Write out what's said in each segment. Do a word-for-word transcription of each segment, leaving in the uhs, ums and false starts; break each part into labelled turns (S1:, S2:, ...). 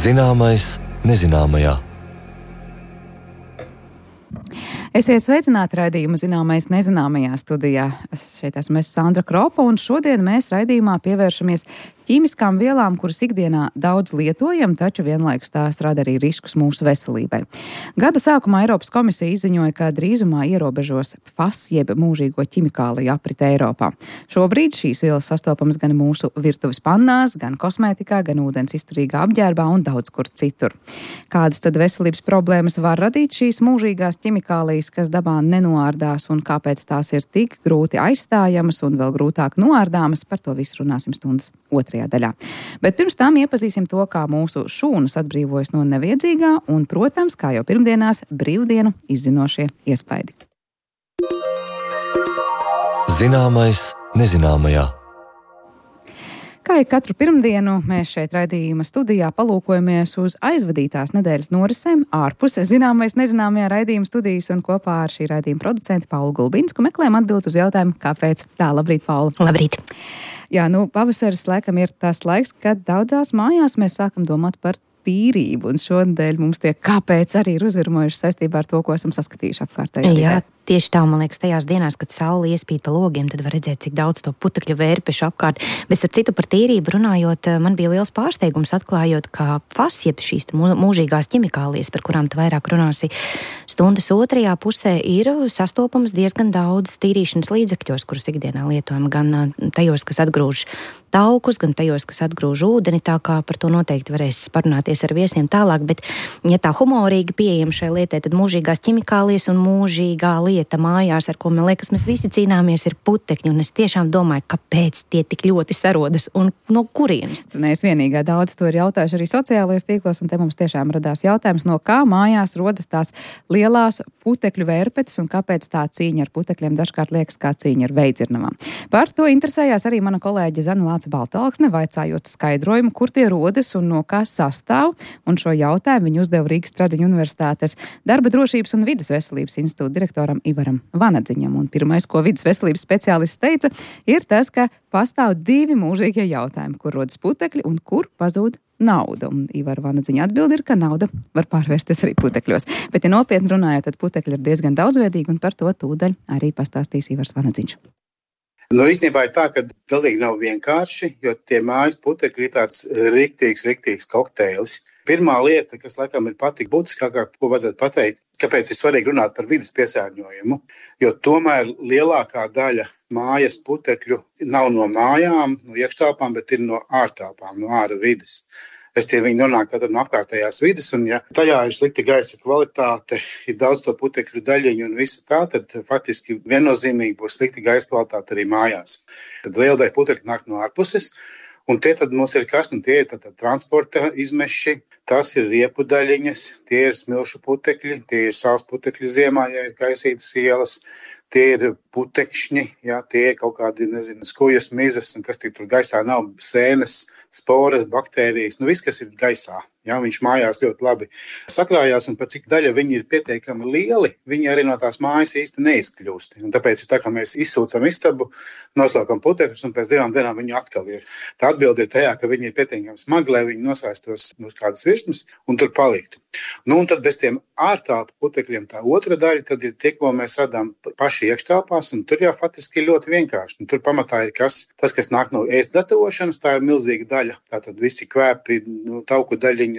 S1: Zināmais nezināmajā.
S2: Esiet sveicināti raidījuma Zināmais nezināmajā studijā. Es šeit esmu es Sandra Kropa, un šodien mēs raidījumā pievēršamies ķīmiskām vielām, kuras ikdienā daudz lietojam, taču vienlaikus tās rada arī riskus mūsu veselībai. Gada sākumā Eiropas komisija izziņoja, ka drīzumā ierobežos F A S jeb mūžīgo ķimikāliju aprite Eiropā. Šobrīd šīs vielas sastopamas gan mūsu virtuves pannās, gan kosmētikā, gan ūdens izturīgā apģērbā un daudz kur citur. Kādas tad veselības problēmas var radīt šīs mūžīgās ķimikālijas, kas dabā nenoārdās, un kāpēc tās ir tik grūti aizstājamas un vēl grūtāk noārdāmas? Par to visu runāsim stundas otrajā daļā. Bet pirms tam iepazīsim to, kā mūsu šūnas atbrīvojas no neviedzīgā un, protams, kā jau pirmdienās, brīvdienu izzinošie iespaidi.
S1: Zināmais nezināmajā.
S2: Kā ir katru pirmdienu, mēs šeit raidījuma studijā palūkojamies uz aizvadītās nedēļas norisēm ārpus zināmais nezināmajā raidījuma studijas, un kopā ar šī raidījuma producentu Paulu Gulbinsku meklējam atbildes uz jautājumu, kāpēc. Tā, labrīt, Paula.
S3: Labrīt.
S2: Jā, nu, pavasaris laikam ir tas laiks, kad daudzās mājās mēs sākam domāt par tīrību, un šodien mums tie kāpēc arī ir uzvirmojuši saistībā ar to, ko esam saskatījuši apkārtējā vidē.
S3: Jā, tieši tā, man liekas, tajās dienās, kad saule iespīd pa logiem, tad var redzēt, cik daudz to putekļu vērpešu apkārt. Bet ar citu par tīrību runājot, man bija liels pārsteigums atklājot, ka F A S, jeb šīs mūžīgās ķimikālijas, par kurām tu vairāk runāsi stundas otrajā pusē, ir sastopamas diezgan daudz tīrīšanas līdzekļos, kurus ikdienā lietojam, gan tajos, kas atgrūž taukus, gan tajos, kas atgrūž ūdeni, tā kā par to noteikti varēs parunāties ar viesiem tālāk, bet ja tā humorīgi pieejam šai lietai, tad mūžīgās ķimikālijas un mūžīgā lieta mājās, ar ko, man liekas, mēs visi cīnāmies, ir putekļi, un es tiešām domāju, kāpēc tie tik ļoti sarodas un no kurienes.
S2: Tu neesi vienīgā, daudz to ir jautājuši arī sociālajos tīklos, un te mums tiešām radās jautājums, no kā mājās rodas tās lielās putekļu vērpetes un kāpēc tā cīņa ar putekļiem dažkārt liekas kā cīņa ar veidzirnavām. Par to interesējās arī mana kolēģe Zana Lāce Baltalksne, vaicājot skaidrojumu, kur tie rodas un no kā sastāv, un šo jautājumu viņa uzdeva Rīgas Stradiņu universitātes darba drošības un vides veselības institūta direktoram Ivaram Vanadziņam. Un pirmais, ko vides veselības speciālists teica, ir tas, ka pastāv divi mūžīgie jautājumi, kur rodas putekļi un kur pazūd nauda. Un Ivara Vanadziņa atbilde ir, ka nauda var pārvērsties arī putekļos. Bet, ja nopietni runājot, tad putekļi ir diezgan daudzveidīgi, un par to tūdaļ arī pastāstīs Ivars Vanadziņš.
S4: Nu, īstenībā ir tā, ka galīgi nav vienkārši, jo tie mājas putekļi ir tāds riktīgs, riktīgs kokteilis. Pirmā lieta, kas laikam ir patīk būtiskākā, ko vajadzētu pateikt, kāpēc ir svarīgi runāt par vides piesārņojumu, jo tomēr lielākā daļa mājas putekļu nav no mājām, no iekštāpām, bet ir no ārtāpām, no āra vides. Es tie viņi nonāk tātad no apkārtējās vides, un ja tajā ir slikta gaisa kvalitāte, ir daudz to putekļu daļiņu un visu tā, tad faktiski viennozīmīgi būs slikta gaisa kvalitāte arī mājās. Tad liela daļa putekļu nāk no ārpuses, un tie tad mums ir kas, nu tie ir tātad transporta izmeši, tas ir riepu daļiņas, tie ir smilšu putekļi, tie ir sāls putekļi ziemā, ja ir kaisītas ielas, tie ir putekšņi, ja, tie ir kaut kādi, nezinu, skujas, mizas, un kas tik tur gaisā nav, sēnes, sporas, baktērijas, nu viss, kas ir gaisā. Ja, viņš mājās ļoti labi sakrājās, un pat cik daļa viņi ir pietiekami lieli, viņi arī no tās mājas īsti neizkļūst. Un tāpēc ir tā, ka mēs izsūcam istabu, noslēgam putekļus, un pēc divām dienām viņi atkal ir. Tā atbilde ir tajā, ka viņi ir pietiekami smagi, lai viņi nosēstos uz kādas virsmas un tur paliktu. Nu, un tad bez tiem ārtāpu putekļiem tā otra daļa, tad ir tie, ko mēs radām paši iekštāpās, un tur jau faktiski ir ļoti vienkārši. Un tur pamatā ir kas, tas, kas nāk no ēst gatavošanas, tā ir milzīga daļa. Tātad visi kvēpi, nu, tauku daļiņas.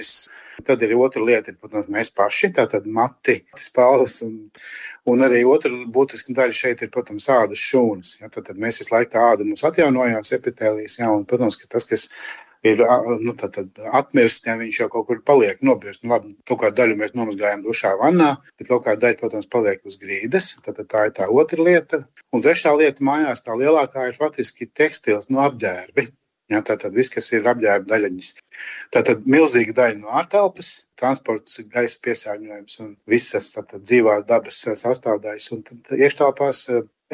S4: Tad ir otra lieta, ir, protams, mēs paši, tātad mati, spalvas, un, un arī otra būtiska daļa šeit ir, protams, ādas šūnas. Ja, tad, tad mēs visu laiku tā āda mums atjaunojās, epitēlijas, ja, un, protams, ka tas, kas ir nu, tad, tad atmirst, ja viņš jau kaut kur paliek nobirst. Nu, labi, kaut kādu daļu mēs nomazgājam dušā vannā, bet kaut kāda daļa, protams, paliek uz grīdas. Tad, tad tā ir tā otra lieta. Un trešā lieta mājās, tā lielākā ir faktiski tekstils no apģērbi. Ja, tātad viss, kas ir apģērba daļaņas. Tātad milzīga daļa no ārtelpas, transports, gaisa piesārņojums un visas tātad dzīvās dabas sastāvdaļas. Un tad iekštelpās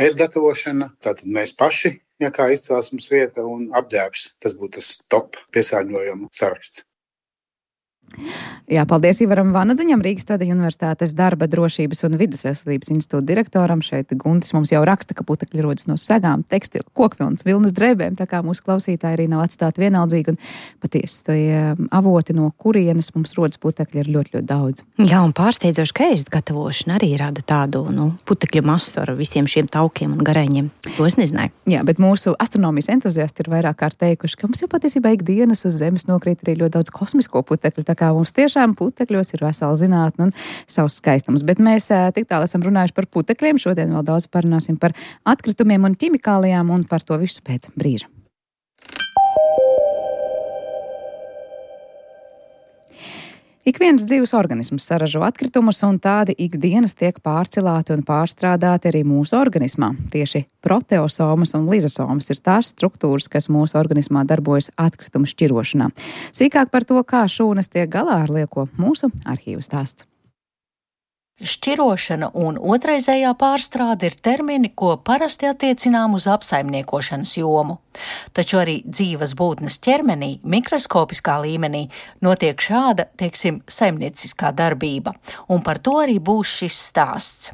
S4: ēst gatavošana, tātad mēs paši, ja kā izcelsmes vieta, un apģērbs. Tas būtu tas top piesārņojumu saraksts.
S2: Jā, paldies Ivaram Vanadziņam, Rīgas Tradiņu universitātes darba drošības un vidas veselības institūta direktoram. Šeit Guntis mums jau raksta, ka putekļi rodas no segām, tekstila, kokvilnas, vilnas drēbēm, tā kā mūsu klausītāji arī nav atstāti vienaldzīgi. Un patiesi, tie avoti, no kurienes mums rodas putekļi, ir ļoti, ļoti daudz.
S3: Jā, un pārsteidzoši, ka ēst gatavošana arī rada tādu, nu, putekļu masu ar visiem šiem taukiem un gareņiem. To es nezināju.
S2: Jā, bet mūsu astronomijas entuziasti ir vairāk kārt teikuši, ka mums jau patiesībā ikdienas uz Zemes nokrīt arī ļoti daudz kosmisko putekļu. Tā kā mums tiešām putekļos ir vesela zinātne un savs skaistums. Bet mēs tik tālu esam runājuši par putekļiem. Šodien vēl daudz parunāsim par atkritumiem un ķimikālijām un par to visu pēc brīža. Ik viens dzīves organisms saražo atkritumus, un tādi ikdienas tiek pārcilāti un pārstrādāti arī mūsu organismā. Tieši proteosomas un lizosomas ir tās struktūras, kas mūsu organismā darbojas atkritumu šķirošanā. Sīkāk par to, kā šūnas tiek galā ar lieko, mūsu arhīvu stāsts.
S5: Šķirošana un otraizējā pārstrāde ir termini, ko parasti attiecinām uz apsaimniekošanas jomu. Taču arī dzīves būtnes ķermenī, mikroskopiskā līmenī, notiek šāda, teiksim, saimnieciskā darbība, un par to arī būs šis stāsts.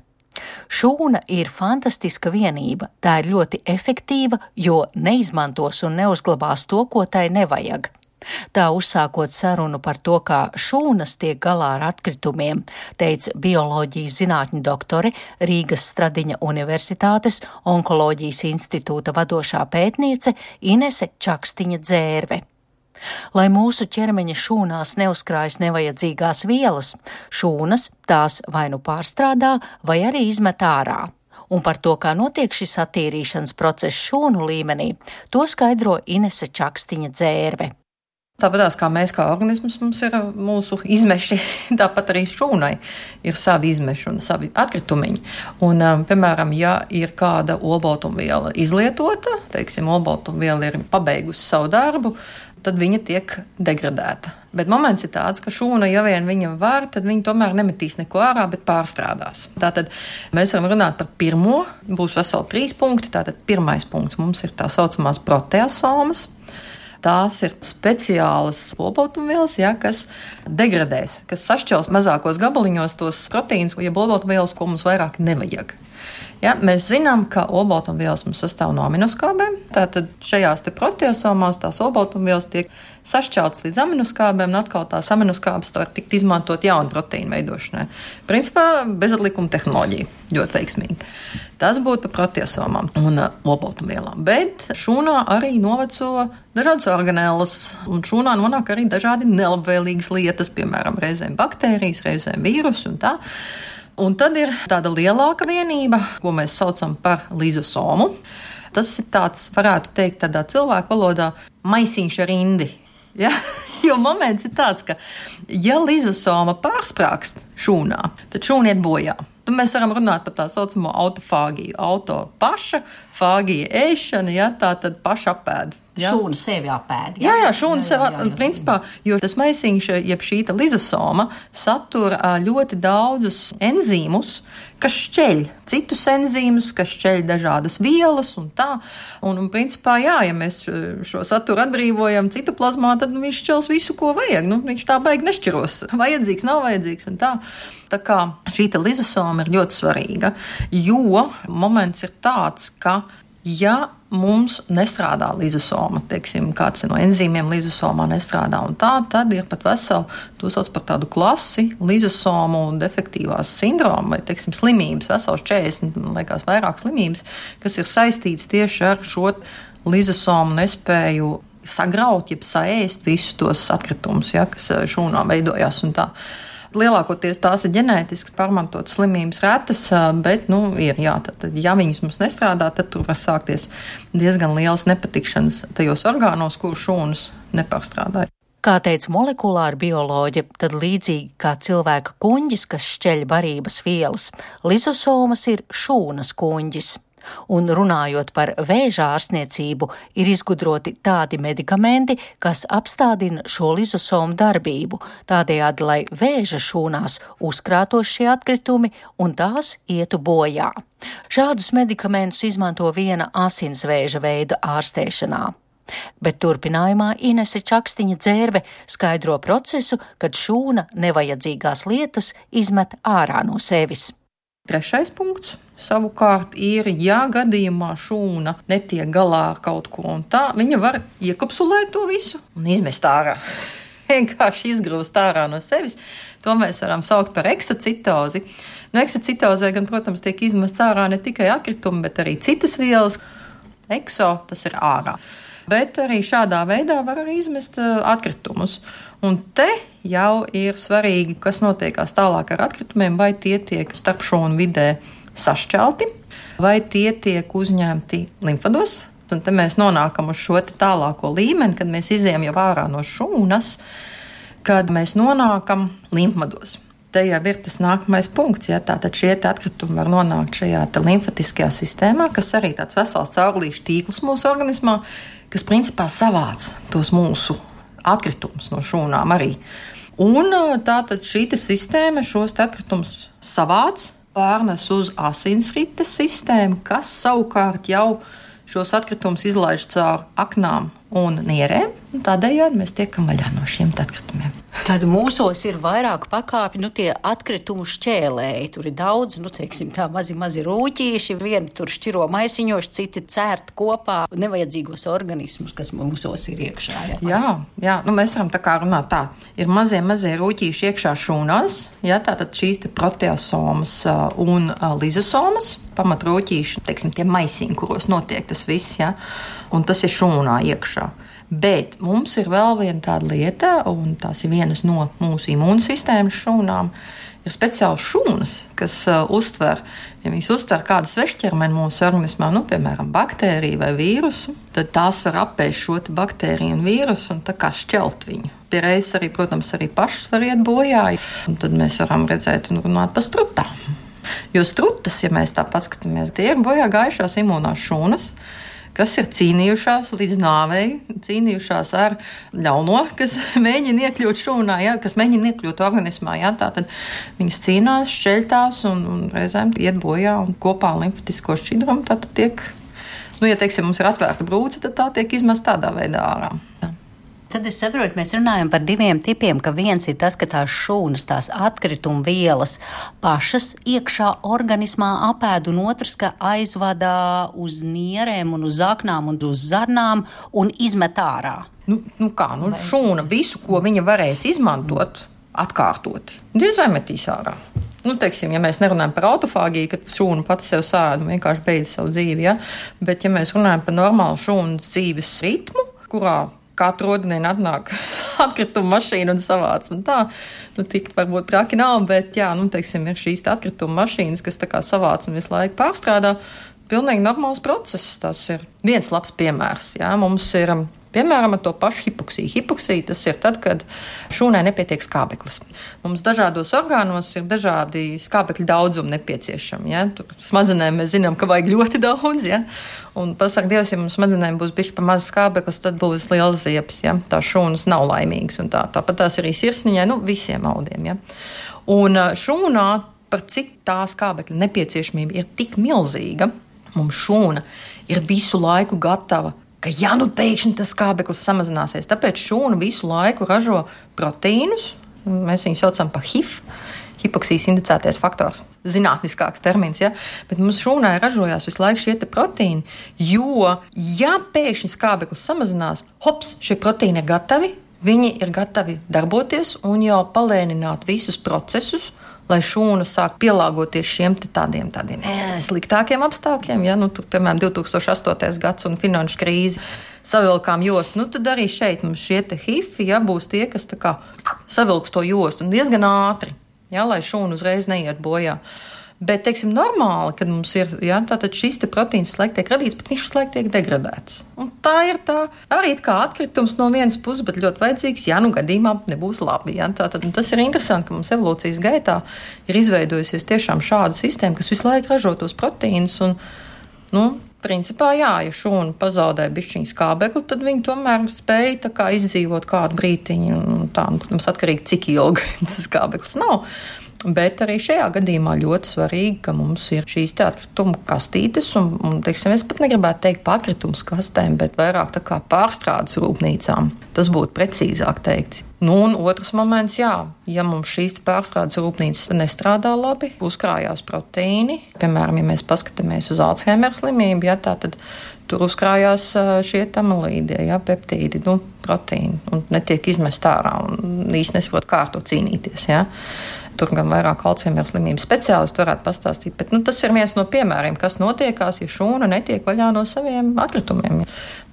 S5: Šūna ir fantastiska vienība, tā ir ļoti efektīva, jo neizmantos un neuzglabās to, ko tai nevajag. Tā uzsākot sarunu par to, kā šūnas tiek galā ar atkritumiem, teica bioloģijas zinātņu doktore, Rīgas Stradiņa universitātes onkoloģijas institūta vadošā pētniece Inese Čakstiņa Dzērve. Lai mūsu ķermeņa šūnās neuzkrājas nevajadzīgās vielas, šūnas tās vai nu pārstrādā, vai arī izmet ārā. Un par to, kā notiek šis attīrīšanas process šūnu līmenī, to skaidro Inese Čakstiņa Dzērve.
S6: Tāpatās kā mēs kā organisms, mums ir mūsu izmeši, tāpat arī šūnai ir savi izmeši un savi atkritumiņi. Un, piemēram, ja ir kāda olbaltumviela izlietota, teiksim, olbaltumviela ir pabeigusi savu darbu, tad viņa tiek degradēta. Bet moments ir tāds, ka šūna, ja vien viņa var, tad viņa tomēr nemetīs neko ārā, bet pārstrādās. Tātad mēs varam runāt par pirmo, būs veseli trīs punkti. Tātad pirmais punkts mums ir tā saucamās proteosomas. Tās ir speciālas olbaltumvielas, ja, kas degradēs, kas sašķels mazākos gabaliņos tos proteīnus, jeb olbaltumvielas, ko mums vairāk nevajag. Ja, mēs zinām, ka olbaltumvielas mums sastāv no aminoskābēm, tātad šajās te proteosomās tās olbaltumvielas tiek sašķeltas līdz aminoskābēm, un atkal tās aminoskābes var tikt izmantot jaunu proteīnu veidošanai. Principā bezatlikuma tehnoloģija, ļoti veiksmīgi. Tas būtu par proteosomām un uh, olbaltumvielām. Bet šūnā arī noveco dažādas organēlas, un šūnā nonāk arī dažādi nelabvēlīgas lietas, piemēram, reizēm baktērijas, reizēm vīrusi un tā. Un tad ir tāda lielāka vienība, ko mēs saucam par lizosomu. Tas ir tāds, varētu teikt, tādā cilvēku valodā maisiņš ar indi. Ja? Jo moments ir tāds, ka ja lizosoma pārsprāgst šūnā, tad šūna iet bojā. Tad mēs varam runāt par tā saucamo autofāgiju. Auto paša, fāgija ēšana, ja, tā tad paša apēda.
S5: Ja? Šūna sevi apēd.
S6: Jā, jā, šūna sevi apēd. Principā, jo tas maisiņš, jeb šī lizosoma, satur ļoti daudzus enzīmus, kas šķeļ citus enzīmus, kas šķeļ dažādas vielas un tā. Un, un principā, jā, ja mēs šo saturu atbrīvojam citoplazmā, tad nu, viņš šķels visu, ko vajag. Nu, viņš tā baigi nešķiros. Vajadzīgs, nav vajadzīgs un tā. Tā kā šī lizosoma ir ļoti svarīga, jo moments ir tāds, ka ja mums nestrādā lizosoma, teiksim, kāds no enzīmiem lizosomā nestrādā un tā, tad ir pat veseli, to sauc par tādu klasi, lizosomu un defektīvās sindromu vai, teiksim, slimības, vesels četrdesmit, liekas, vairāk slimības, kas ir saistīts tieši ar šo lizosomu nespēju sagraut, jeb saēst visus tos atkritumus, ja, kas šūnā veidojās un tā. Lielākoties tās ir ģenētiski pārmantotas slimības retas, bet, nu, ir, jā, tad, ja viņas mums nestrādā, tad tur var sākties diezgan lielas nepatikšanas tajos orgānos, kuru šūnas nepārstrādāja.
S5: Kā teica molekulāra bioloģe, tad līdzīgi kā cilvēka kuņģis, kas šķeļ barības vielas, lizosomas ir šūnas kuņģis. Un runājot par vēža ārstniecību, ir izgudroti tādi medikamenti, kas apstādina šo lizosomu darbību, tādējādi, lai vēža šūnās uzkrātos šie atkritumi un tās ietu bojā. Šādus medikamentus izmanto viena asinsvēža veida ārstēšanā. Bet turpinājumā Inese Čakstiņa-Dzērve skaidro procesu, kad šūna nevajadzīgās lietas izmet ārā no sevis.
S6: Trešais punkts savukārt ir, ja gadījumā šūna netiek galā ar kaut ko un tā, viņa var iekapsulēt to visu un izmest ārā. Vienkārši izgrūst ārā no sevis. To mēs varam saukt par eksocitozi. No eksocitozē gan, protams, tiek izmests ārā ne tikai atkritumi, bet arī citas vielas. Ekso, tas ir ārā. Bet arī šādā veidā var arī izmest atkritumus. Un te jau ir svarīgi, kas notiekās tālāk ar atkritumiem, vai tie tiek starp šūnu vidē sašķelti, vai tie tiek uzņemti limfados. Un te mēs nonākam uz šo tālāko līmeni, kad mēs izejam jau ārā no šūnas, kad mēs nonākam limfados. Te jau ir tas nākamais punkts, ja tātad šie atkritumi var nonākt šajā limfatiskajā sistēmā, kas arī tāds vesels caurulīšu tīkls mūsu organismā, kas principā savāc tos mūsu atkritumus no šūnām arī. Un tātad šī sistēma šos atkritumus savāc, pārnes uz asinsrites sistēmu, kas savukārt jau šos atkritumus izlaiž caur aknām un nierēm, un tādējādi mēs tiekam vaļā no šiem atkritumiem.
S5: Tad mūsos ir vairāk pakāpju, nu tie atkritumu šķēlēji, tur ir daudz, nu teiksim tā mazi, mazi rūķīši, vieni tur šķiro maisiņoši, citi cērt kopā nevajadzīgos organismus, kas mūsos ir iekšā. Jā,
S6: jā, jā nu mēs varam tā kā runāt tā, ir mazie, mazie rūķīši iekšā šūnās, jā, tātad šīs te proteasomas un lizosomas, pamatrūķīši, teiksim, tie maisiņi, kuros notiek tas viss, jā, un tas ir šūnā iekšā. Bet mums ir vēl viena tāda lieta, un tās ir vienas no mūsu imūnsistēmas šūnām, ir speciāli šūnas, kas uh, uztver, ja viņas uztver kādu svešķermeni mūsu organismā, nu, piemēram, baktēriju vai vīrusu, tad tās var apēst šo baktēriju un vīrusu un tā kā šķelt viņu. Pie reizes arī, protams, arī pašas var iet bojā, un tad mēs varam redzēt un runāt par strutām. Jo strutas, ja mēs tā paskatāmies, tie ir bojā gājušās imūnās šūnas, kas ir cīnījušās līdz nāvei, cīnījušās ar ļauno, kas mēģina iekļūt šūnā, jā, kas mēģina iekļūt organismā. Jā, tātad viņas cīnās, šķeļtās un, un reizēm iet bojā un kopā ar limfatisko šķidrumu tātad tiek, nu, ja teiksim, mums ir atvērta brūce, tad tā tiek izmest tādā veidā ārā. Jā.
S5: Tad es saprotu, mēs runājam par diviem tipiem, ka viens ir tas, ka tās šūnas, tās atkrituma vielas pašas iekšā organismā apēd, un otrs, ka aizvadā uz nierēm un uz aknām un uz zarnām un izmet ārā.
S6: Nu, nu kā, nu šūna visu, ko viņa varēs izmantot, atkārtoti, diez vai metīs ārā. Nu, teiksim, ja mēs nerunājam par autofāgiju, kad šūna pats sev sēd un vienkārši beidz savu dzīvi, ja? Bet ja mēs runājam par normālu šūnas dzīves ritmu, kurā katru rodienu atnāk atkrituma mašīna un savāc un tā. Nu, tik varbūt traki nav, bet jā, nu, teiksim, ir šīs atkrituma mašīnas, kas tā kā savāc un visu laiku pārstrādā. Pilnīgi normāls process. Tas ir viens labs piemērs. Jā. Mums ir, piemēram, ar to pašu hipoksiju. Hipoksija tas ir tad, kad šūnai nepietiek skābeklis. Mums dažādos orgānos ir dažādi skābekļa daudzumi nepieciešami. Ja? Tur smadzenēm mēs zinām, ka vajag ļoti daudz. Ja? Un pasaka Dievs, ja mums smadzenēm būs bišķi pa maz skābeklis, tad būs liels ziepes. Ja? Tā šūnas nav laimīgas. Un tā, tāpat tās arī sirsniņai, nu visiem audiem. Ja? Un šūnā, par cik tā skābekļa nepieciešamība ir tik milzīga, mums šūna ir visu laiku gatava, ka ja nu pēkšņi tas skābeklis samazināsies, tāpēc šūna visu laiku ražo proteīnus, mēs viņu saucam par H I F, hipoksijas indicētais faktors, zinātniskāks termins, ja? Bet mums šūnai ražojās visu laiku šie te proteīni, jo ja pēkšņi skābeklis samazinās, hops, šie proteīni ir gatavi, viņi ir gatavi darboties un jau palēnināt visus procesus, lai šūna sāk pielāgoties šiem tādiem, tādiem sliktākiem apstākļiem. Ja? Nu, tur, piemēram, divi tūkstoši astotais gads un finanšu krīze savilkām jostu. Nu, tad arī šeit mums šie te H I F ja, būs tie, kas tā kā savilks to jostu un diezgan ātri, ja, lai šūna uzreiz neiet bojā. Bet, teiksim, normāli, kad mums ir, ja, tātad šis te proteīns laik tiek radīts, bet viņš laik tiek degradēts. Un tā ir tā, arī kā atkritums no vienas puses, bet ļoti vajadzīgs, ja nu gadījumā nebūs labi. Ja. Tātad, tas ir interesanti, ka mums evolūcijas gaitā ir izveidojusies tiešām šāda sistēma, kas visu laiku ražo tos proteīnus un, nu, principā, jā, ja šūna pazaudē bišķiņu skābekli, tad viņi tomēr spēja tā kā izdzīvot kādu brītiņu un tā, un, protams, atkarīgi cik ilgi tas skābeklis nav. Bet arī šajā gadījumā ļoti svarīgi, ka mums ir šīs atkritumu kastītes, un, un teiksim, es pat negribētu teikt par atkritumu kastēm, bet vairāk tā kā pārstrādes rūpnīcām. Tas būtu precīzāk teikts. Nu, un otrs moments, jā, ja mums šīs pārstrādes rūpnīcas nestrādā labi, uzkrājās proteīni, piemēram, ja mēs paskatāmies uz Alzheimer slimību, jā, tā tad tur uzkrājās šie amilīdi, jā, peptīdi, nu, proteīni, un netiek izmest ārā, un īsti nesaprot, kā ar to cīnīties, jā. Tur gan vairāk Alzheimer slimības speciālisti varētu pastāstīt, bet nu, tas ir viens no piemēriem, kas notiekās, ja šūna netiek vaļā no saviem atkritumiem,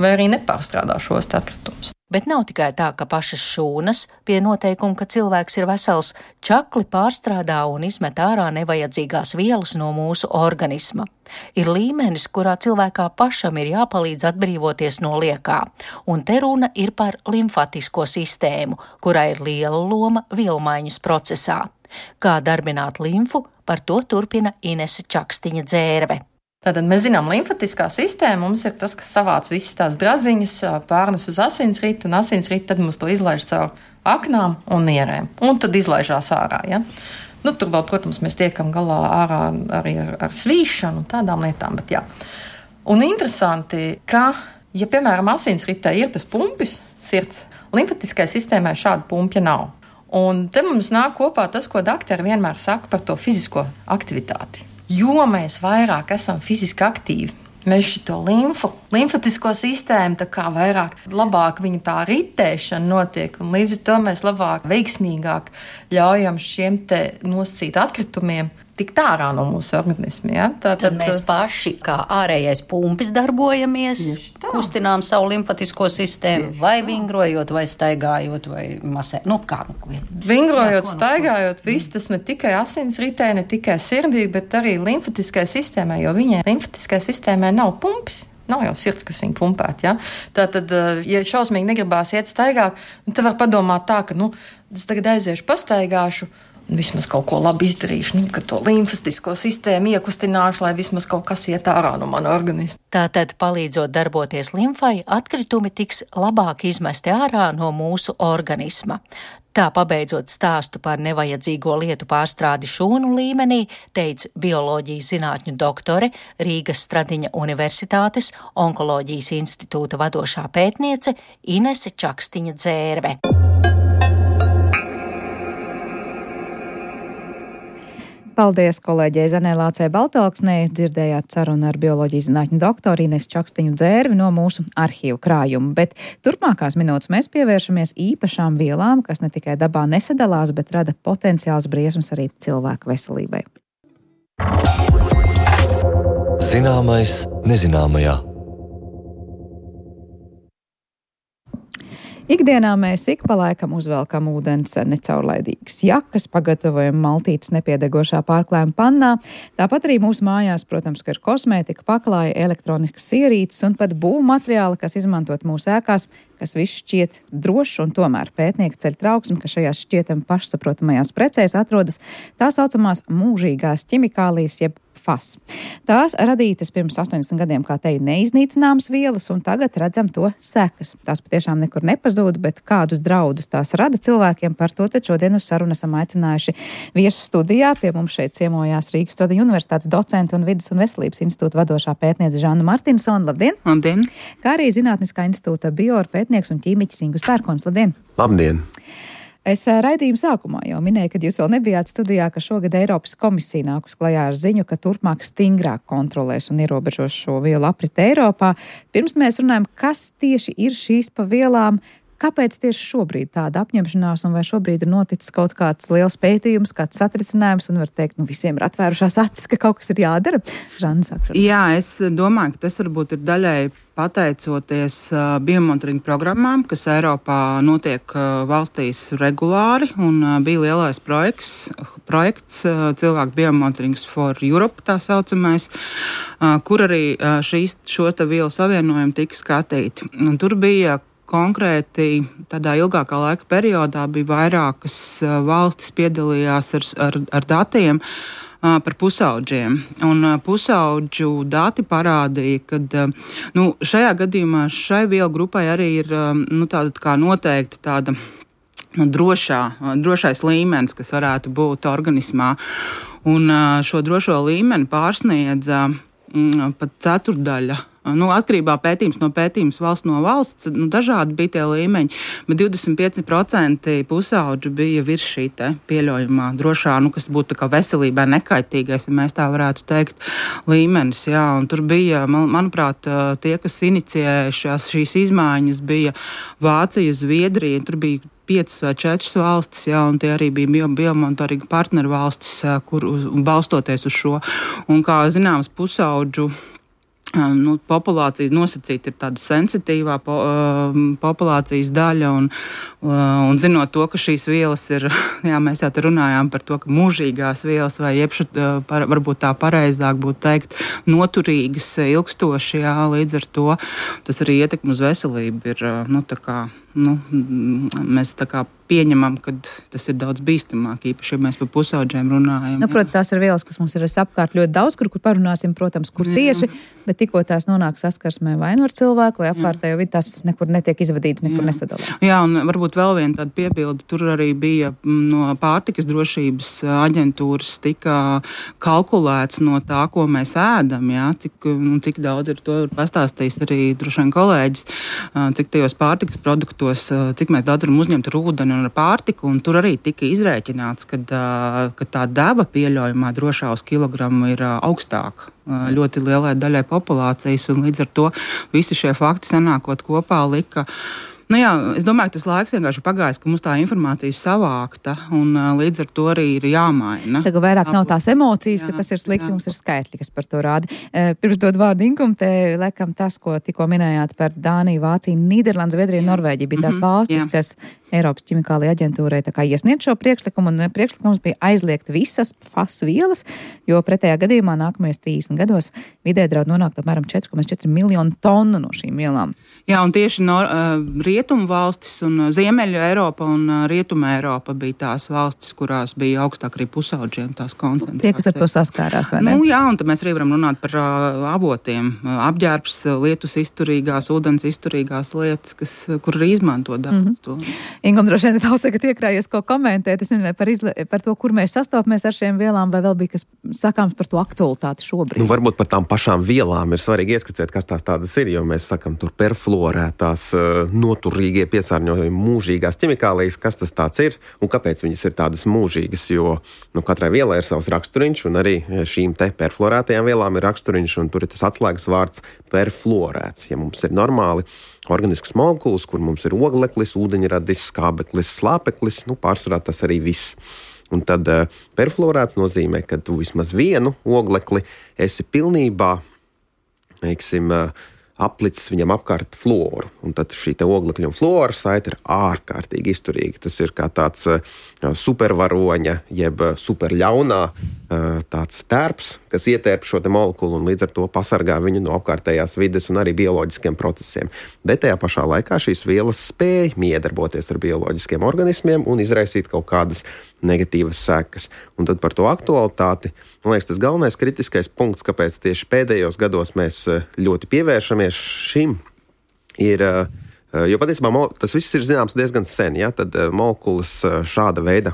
S6: vai arī nepārstrādā šos atkritumus.
S5: Bet nav tikai tā, ka pašas šūnas pie noteikuma, ka cilvēks ir vesels, čakli pārstrādā un izmet ārā nevajadzīgās vielas no mūsu organisma. Ir līmenis, kurā cilvēkā pašam ir jāpalīdz atbrīvoties no liekā, un te runa ir par limfatisko sistēmu, kurā ir liela loma vielmaiņas procesā. Kā darbināt limfu, par to turpina Inese Čakstiņa Dzērve.
S6: Tātad mēs zinām, limfatiskā sistēma mums ir tas, kas savāc visas tās draziņas, pārnes uz asinsritu, un asinsritu tad mums to izlaiž caur aknām un nierēm, un tad izlaižās ārā, ja? Nu, tur vēl, protams, mēs tiekam galā ārā arī ar, ar svīšanu un tādām lietām, bet jā. Un interesanti, ka, ja, piemēram, asinsritē ir tas pumpis, sirds, limfatiskai sistēmai šāda pumpja nav. Un te mums nāk kopā tas, ko daktari vienmēr saka par to fizisko aktivitāti. Jo mēs vairāk esam fiziski aktīvi, mēs šito limfu, limfatisko sistēmu tā kā vairāk, labāk viņa tā ritēšana notiek, un līdz ar to mēs labāk, veiksmīgāk ļaujam šiem te nosacīt atkritumiem tikt ārā no mūsu organismu. Ja?
S7: Tā, tad, tad mēs paši, kā ārējais pumpis, darbojamies, kustinām savu limfatisko sistēmu, tieši vai vingrojot, vai staigājot, vai masē. Nu, kā nu, vien.
S6: Vingrojot, jā, staigājot, viss tas ne tikai asinsritē, ne tikai sirdī, bet arī limfatiskai sistēmai, jo viņai limfatiskai sistēmai nav pumpis. Nav jau sirds, kas viņu pumpēt, ja? Tātad, ja šausmīgi negribās iet staigāt, tad var padomāt tā, ka, nu, es tagad aiziešu pastaigāšu, vismaz kaut ko labi izdarīšu, nu, ka to limfatisko sistēmu iekustināšu, lai vismaz kaut kas iet ārā no mana organisma.
S5: Tātad, palīdzot darboties limfai, atkritumi tiks labāk izmesti ārā no mūsu organisma. Tā pabeidzot stāstu par nevajadzīgo lietu pārstrādi šūnu līmenī, teica bioloģijas zinātņu doktore, Rīgas Stradiņa Universitātes onkoloģijas institūta vadošā pētniece Inese Čakstiņa Dzērve.
S2: Paldies kolēģei Zanē Lācei Baltalksnei. Dzirdējāt sarunu ar bioloģijas zinātņu doktoru Inesu Čakstiņu Dzērvi no mūsu arhīvu krājuma. Bet turpmākās minūtes mēs pievēršamies īpašām vielām, kas ne tikai dabā nesadalās, bet rada potenciāls briesmas arī cilvēku veselībai.
S1: Zināmais nezināmajā.
S2: Ikdienā mēs ik pa laikam uzvelkam ūdens necaurlaidīgas jakas, pagatavojam maltītes nepiedegošā pārklājuma pannā. Tāpat arī mūsu mājās, protams, ka ir kosmētika, paklāja, elektroniskas ierīces un pat būvmateriāli, kas izmantot mūsu ēkās, kas viss šķiet drošs, un tomēr pētnieki ceļ trauksmi, ka šajās šķietam pašsaprotamajās precēs atrodas tā saucamās mūžīgās ķimikālijas, jeb F A S. Tās radītas pirms astoņdesmit gadiem, kā teju, neiznīcināmas vielas, un tagad redzam to sekas. Tās patiešām nekur nepazūd, bet kādus draudus tās rada cilvēkiem, par to tad šodien uz sarunu esam aicinājuši viesu studijā. Pie mums šeit ciemojās Rīgas Stradiņa Universitātes docenta un Vides un veselības institūta vadošā pētniece Žanna Martinsona. Labdien!
S8: Labdien!
S2: Kā arī Zinātniskā institūta bioorpētnieks un ķīmiķis Ingus Pērkons. Labdien!
S9: Labdien!
S2: Es raidījuma sākumā jau minēju, kad jūs vēl nebijāt studijā, ka šogad Eiropas komisija nākus klajā ar ziņu, ka turpmāk stingrāk kontrolēs un ierobežos šo vielu apriti Eiropā. Pirms mēs runājam, kas tieši ir šīs pa vielām, kāpēc tieši šobrīd tāda apņemšanās un vai šobrīd ir noticis kaut kāds liels pētījums, kāds satricinājums un var teikt, nu visiem ir atvērušās acis, ka kaut kas ir jādara? Žanna, sākšu.
S8: Jā, es domāju, ka tas varbūt ir daļai pateicoties uh, biomonitoringa programmām, kas Eiropā notiek uh, valstīs regulāri, un uh, bija lielais projekts, projekts uh, cilvēku biomonitorings for Europe, tā saucamais, uh, kur arī uh, šīs, šo te vielu savienojumi tika skatīti. Un tur bija konkrēti tādā ilgākā laika periodā bija vairākas uh, valstis piedalījās ar, ar, ar datiem uh, par pusaudžiem. Un uh, pusaudžu dati parādīja, ka uh, nu, šajā gadījumā šai vielu grupai arī ir uh, nu, tāda kā noteikti tāda drošā, drošais līmenis, kas varētu būt organismā. Un šo drošo līmeni pārsniedza pat ceturdaļa. Nu, atkarībā pētījums no pētījums valsts no valsts, nu, dažādi bija tie līmeņi, bet divdesmit pieci procenti pusauģu bija virs šī te pieļaujamā drošā, nu, kas būtu tā kā veselībai nekaitīgais, ja mēs tā varētu teikt, līmenis. Jā, un tur bija, man, manuprāt, tie, kas inicijēja šās, šīs izmaiņas, bija Vācija, Zviedrija, tur bija piecas vai četras valstis, jā, un tie arī bija bio, biomonitoringa partneru valstis, kur uz, balstoties uz šo. Un kā zināms, pusauģu Nu, populācija nosacīta ir tāda sensitīvā po, uh, populācijas daļa, un, uh, un zinot to, ka šīs vielas ir, jā, mēs jau te runājām par to, ka mūžīgās vielas, vai jebši, uh, par, varbūt tā pareizāk būtu teikt, noturīgas, ilgstoši, jā, līdz ar to tas arī ietekmi uz veselību ir, uh, nu, tā kā, nu, mēs tā kā pieņemam, ka tas ir daudz bīstamāk, īpaši, ja mēs par pusauģiem runājam.
S2: Nu, protams, tās ir vielas, kas mums ir apkārt ļoti daudz, kur, kur parunāsim, protams, kur tieši, bet tikko tās nonāk saskarsmē vai nu ar cilvēku, vai apkārtējo vidi, tās nekur netiek izvadītas, nekur Jā. nesadalās.
S8: Jā, un varbūt vēl viena tāda piebilde, tur arī bija no pārtikas drošības aģentūras tika kalkulēts no tā, ko mēs ēdam, jā, cik, cik daudz ir to pastāstījis arī droši vien kolēģis, cik tajos pārtikas produktos, cik mēs daudz varam uzņemt ar ūdeni un ar pārtiku, un tur arī tika izrēķināts, ka, ka tā deva pieļaujamā drošā uz kilogramu ir augstāka ļoti lielai daļai populācijas, un līdz ar to visi šie fakti sanākot kopā lika. Nu jā, es domāju, ka tas laiks vienkārši pagājis, ka mums tā informācija savākta, un līdz ar to arī ir jāmaina.
S2: Tagad vairāk nav tās emocijas, jā, ka tas ir slikti, jā. Mums ir skaitļi, kas par to rāda. Pirms dod vārdu Inkum, te lekam tas, ko tikko minējāt par Dāniju, Vāciju, Nīderlandu, Zviedriju, Norvēģiju, bija tās valstis, jā. Kas Eiropas ķimikālajai aģentūrai tā kā iesniedz šo priekšlikumu, un priekšlikums bija aizliegt visas F A S vielas, jo pretējā gadījumā nākamajos trīsdesmit gados vidē draud nonākt apmēram četri komats četri miljonu tonu no šīm vielām.
S8: Jā, un tieši no uh, rietumu valstis un Ziemeļu Eiropa un uh, Rietumu Eiropa bija tās valstis, kurās bija augstāk arī pusauģiem tās koncentrācijas.
S2: Tie, kas ar to saskārās, vai ne?
S8: Nu, jā, un tad mēs arī varam runāt par uh, avotiem. Uh, apģērbs, lietus izturīgās, ūdens izturīgās lietas, kas, kur arī izmanto daudz mm-hmm. to.
S2: Ingam, droši vien tavs tagad iekrājies, ko komentēt. Es nezinu, vai par, izle, par to, kur mēs sastopamies ar šiem vielām, vai vēl bija kas sakāms par to aktualitāti šobrīd.
S9: Nu, varbūt par tām pašām vielām ir svarīgi ieskicēt, kas tās tādas ir, jo mēs sakam tur perfluorētās, noturīgie piesārņojumi, mūžīgās ķimikālijas, kas tas tāds ir un kāpēc viņas ir tādas mūžīgas, jo nu, katrai vielai ir savs raksturiņš, un arī šīm te perfluorētajām vielām ir raksturiņš, un tur ir tas atslēgas vārds perfluorēts. Ja mums ir normāli organisks molekulas, kur mums ir ogleklis, ūdeņradis, skābeklis, slāpeklis, nu pārsvarā tas arī viss. Un tad uh, perfluorēts nozīmē, ka tu vismaz vienu oglekli esi pilnībā, teiksim, uh, aplicis viņam apkārt fluoru. Un tad šī te oglekļa un fluora saite ir ārkārtīgi izturīga. Tas ir kā tāds uh, supervaroņa, jeb uh, superļaunā uh, tāds tērps, kas ietērp šo te molekulu un līdz ar to pasargā viņu no apkārtējās vides un arī bioloģiskiem procesiem. Bet tajā pašā laikā šīs vielas spēj miedarboties ar bioloģiskiem organismiem un izraisīt kaut kādas negatīvas sekas. Un tad par to aktualitāti, man liekas, tas galvenais kritiskais punkts, kāpēc tieši pēdējos gados mēs ļoti pievēršamies šim, ir, jo patiesībā tas viss ir zināms diezgan sen, ja? Tad molekulas šāda veida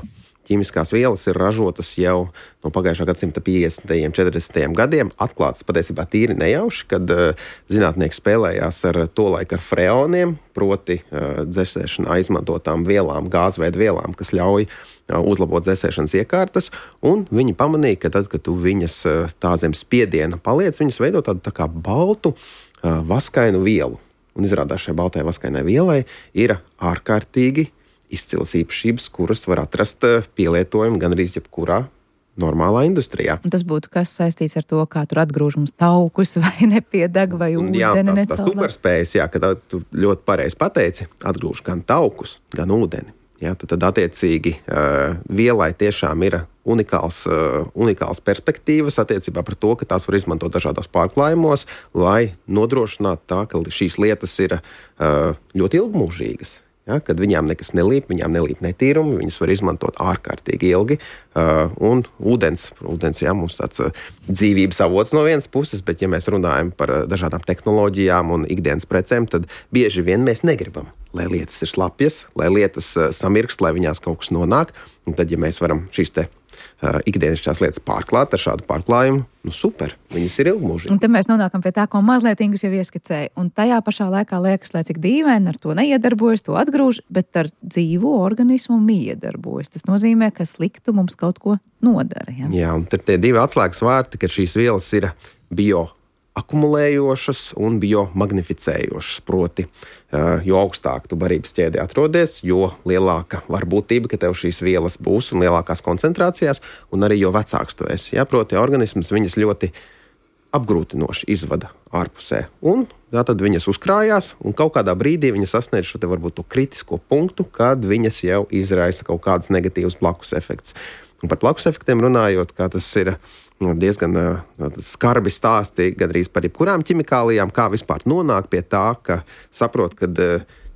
S9: ķīmiskās vielas ir ražotas jau no pagājušā gadsimta piecdesmitajiem, četrdesmitajiem gadiem, atklātas patiesībā tīri nejauši, kad uh, zinātnieki spēlējās ar to laiku ar freoniem, proti uh, dzēsēšanā izmantotām vielām, gāzveida vielām, kas ļauj uh, uzlabot dzēsēšanas iekārtas, un viņi pamanīja, ka tad, kad tu viņas uh, tā zem spiediena paliec, viņas veido tādu tā kā baltu uh, vaskainu vielu. Un izrādās šai baltai vaskainai vielai ir ārkārtīgi izcilas īpašības, kuras var atrast pielietojumu gan arī jebkurā normālā industrijā.
S2: Un tas būtu kas saistīts ar to, kā tur atgrūž mums taukus vai nepiedeg vai ūdeni necaurā.
S9: Jā, tā superspējas, jā, ka tu ļoti pareizi pateici, atgrūž gan taukus, gan ūdeni. Jā, tad, tad attiecīgi uh, vielai tiešām ir unikāls, uh, unikāls perspektīvas attiecībā par to, ka tās var izmantot dažādos pārklājumos, lai nodrošinātu tā, ka šīs lietas ir uh, ļoti ilgmūžīgas. Ja, kad viņām nekas nelīp, viņām nelīp netīrumi, viņas var izmantot ārkārtīgi ilgi. Uh, un ūdens, ūdens, jā, mums tāds uh, dzīvības avots no vienas puses, bet ja mēs runājam par uh, dažādām tehnoloģijām un ikdienas precēm, tad bieži vien mēs negribam, lai lietas ir slapjas, lai lietas uh, samirkst, lai viņās kaut kas nonāk. Un tad, ja mēs varam šīs te uh, ikdienišķās lietas pārklāt ar šādu pārklājumu, nu super, viņas ir ilgmūžīgi.
S2: Un te mēs nonākam pie tā, ko mazliet Ingus jau ieskicēja. Un tajā pašā laikā liekas, lai cik dīvaini ar to neiedarbojas, to atgrūž, bet ar dzīvo organismu iedarbojas. Tas nozīmē, ka sliktu mums kaut ko nodara. Ja?
S9: Jā, un tad tie divi atslēgas vārti, ka šīs vielas ir bio akumulējošas un biomagnificējošas. Proti, jo augstāk tu barības ķēdē atrodies, jo lielāka varbūtība, ka tev šīs vielas būs un lielākās koncentrācijās, un arī jo vecāks tu esi. Ja? Proti, organisms viņas ļoti apgrūtinoši izvada ārpusē. Un tā tad viņas uzkrājās, un kaut kādā brīdī viņas sasniedz šo te varbūt to kritisko punktu, kad viņas jau izraisa kaut kādas negatīvas blakus efekts. Un par blakus efektiem runājot, kā tas ir diezgan skarbi stāsti gandrīz par jebkurām ķimikālijām, kā vispār nonāk pie tā, ka saprot, ka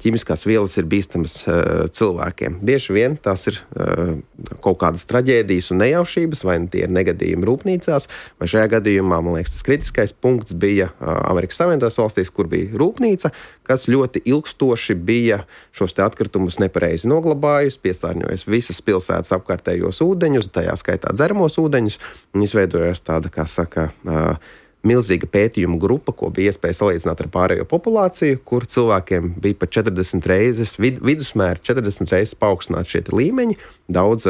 S9: ķimiskās vielas ir bīstamas uh, cilvēkiem. Bieži vien tās ir uh, kaut kādas traģēdijas un nejaušības, vai tie ir negadījumi rūpnīcās, vai šajā gadījumā, man liekas, tas kritiskais punkts bija uh, Amerikas Savienotās valstīs, kur bija rūpnīca, kas ļoti ilgstoši bija šos te atkritumus nepareizi noglabājusi, piesārņojusi visas pilsētas apkārtējos ūdeņus, tajā skaitā dzeramos ūdeņus, un izveidojās tāda, kā saka, uh, milzīga pētījuma grupa, ko bija iespēja salīdzināt ar pārējo populāciju, kur cilvēkiem bija pat četrdesmit reizes, vid, vidusmēri četrdesmit reizes paaugstināt šie līmeņi, daudz,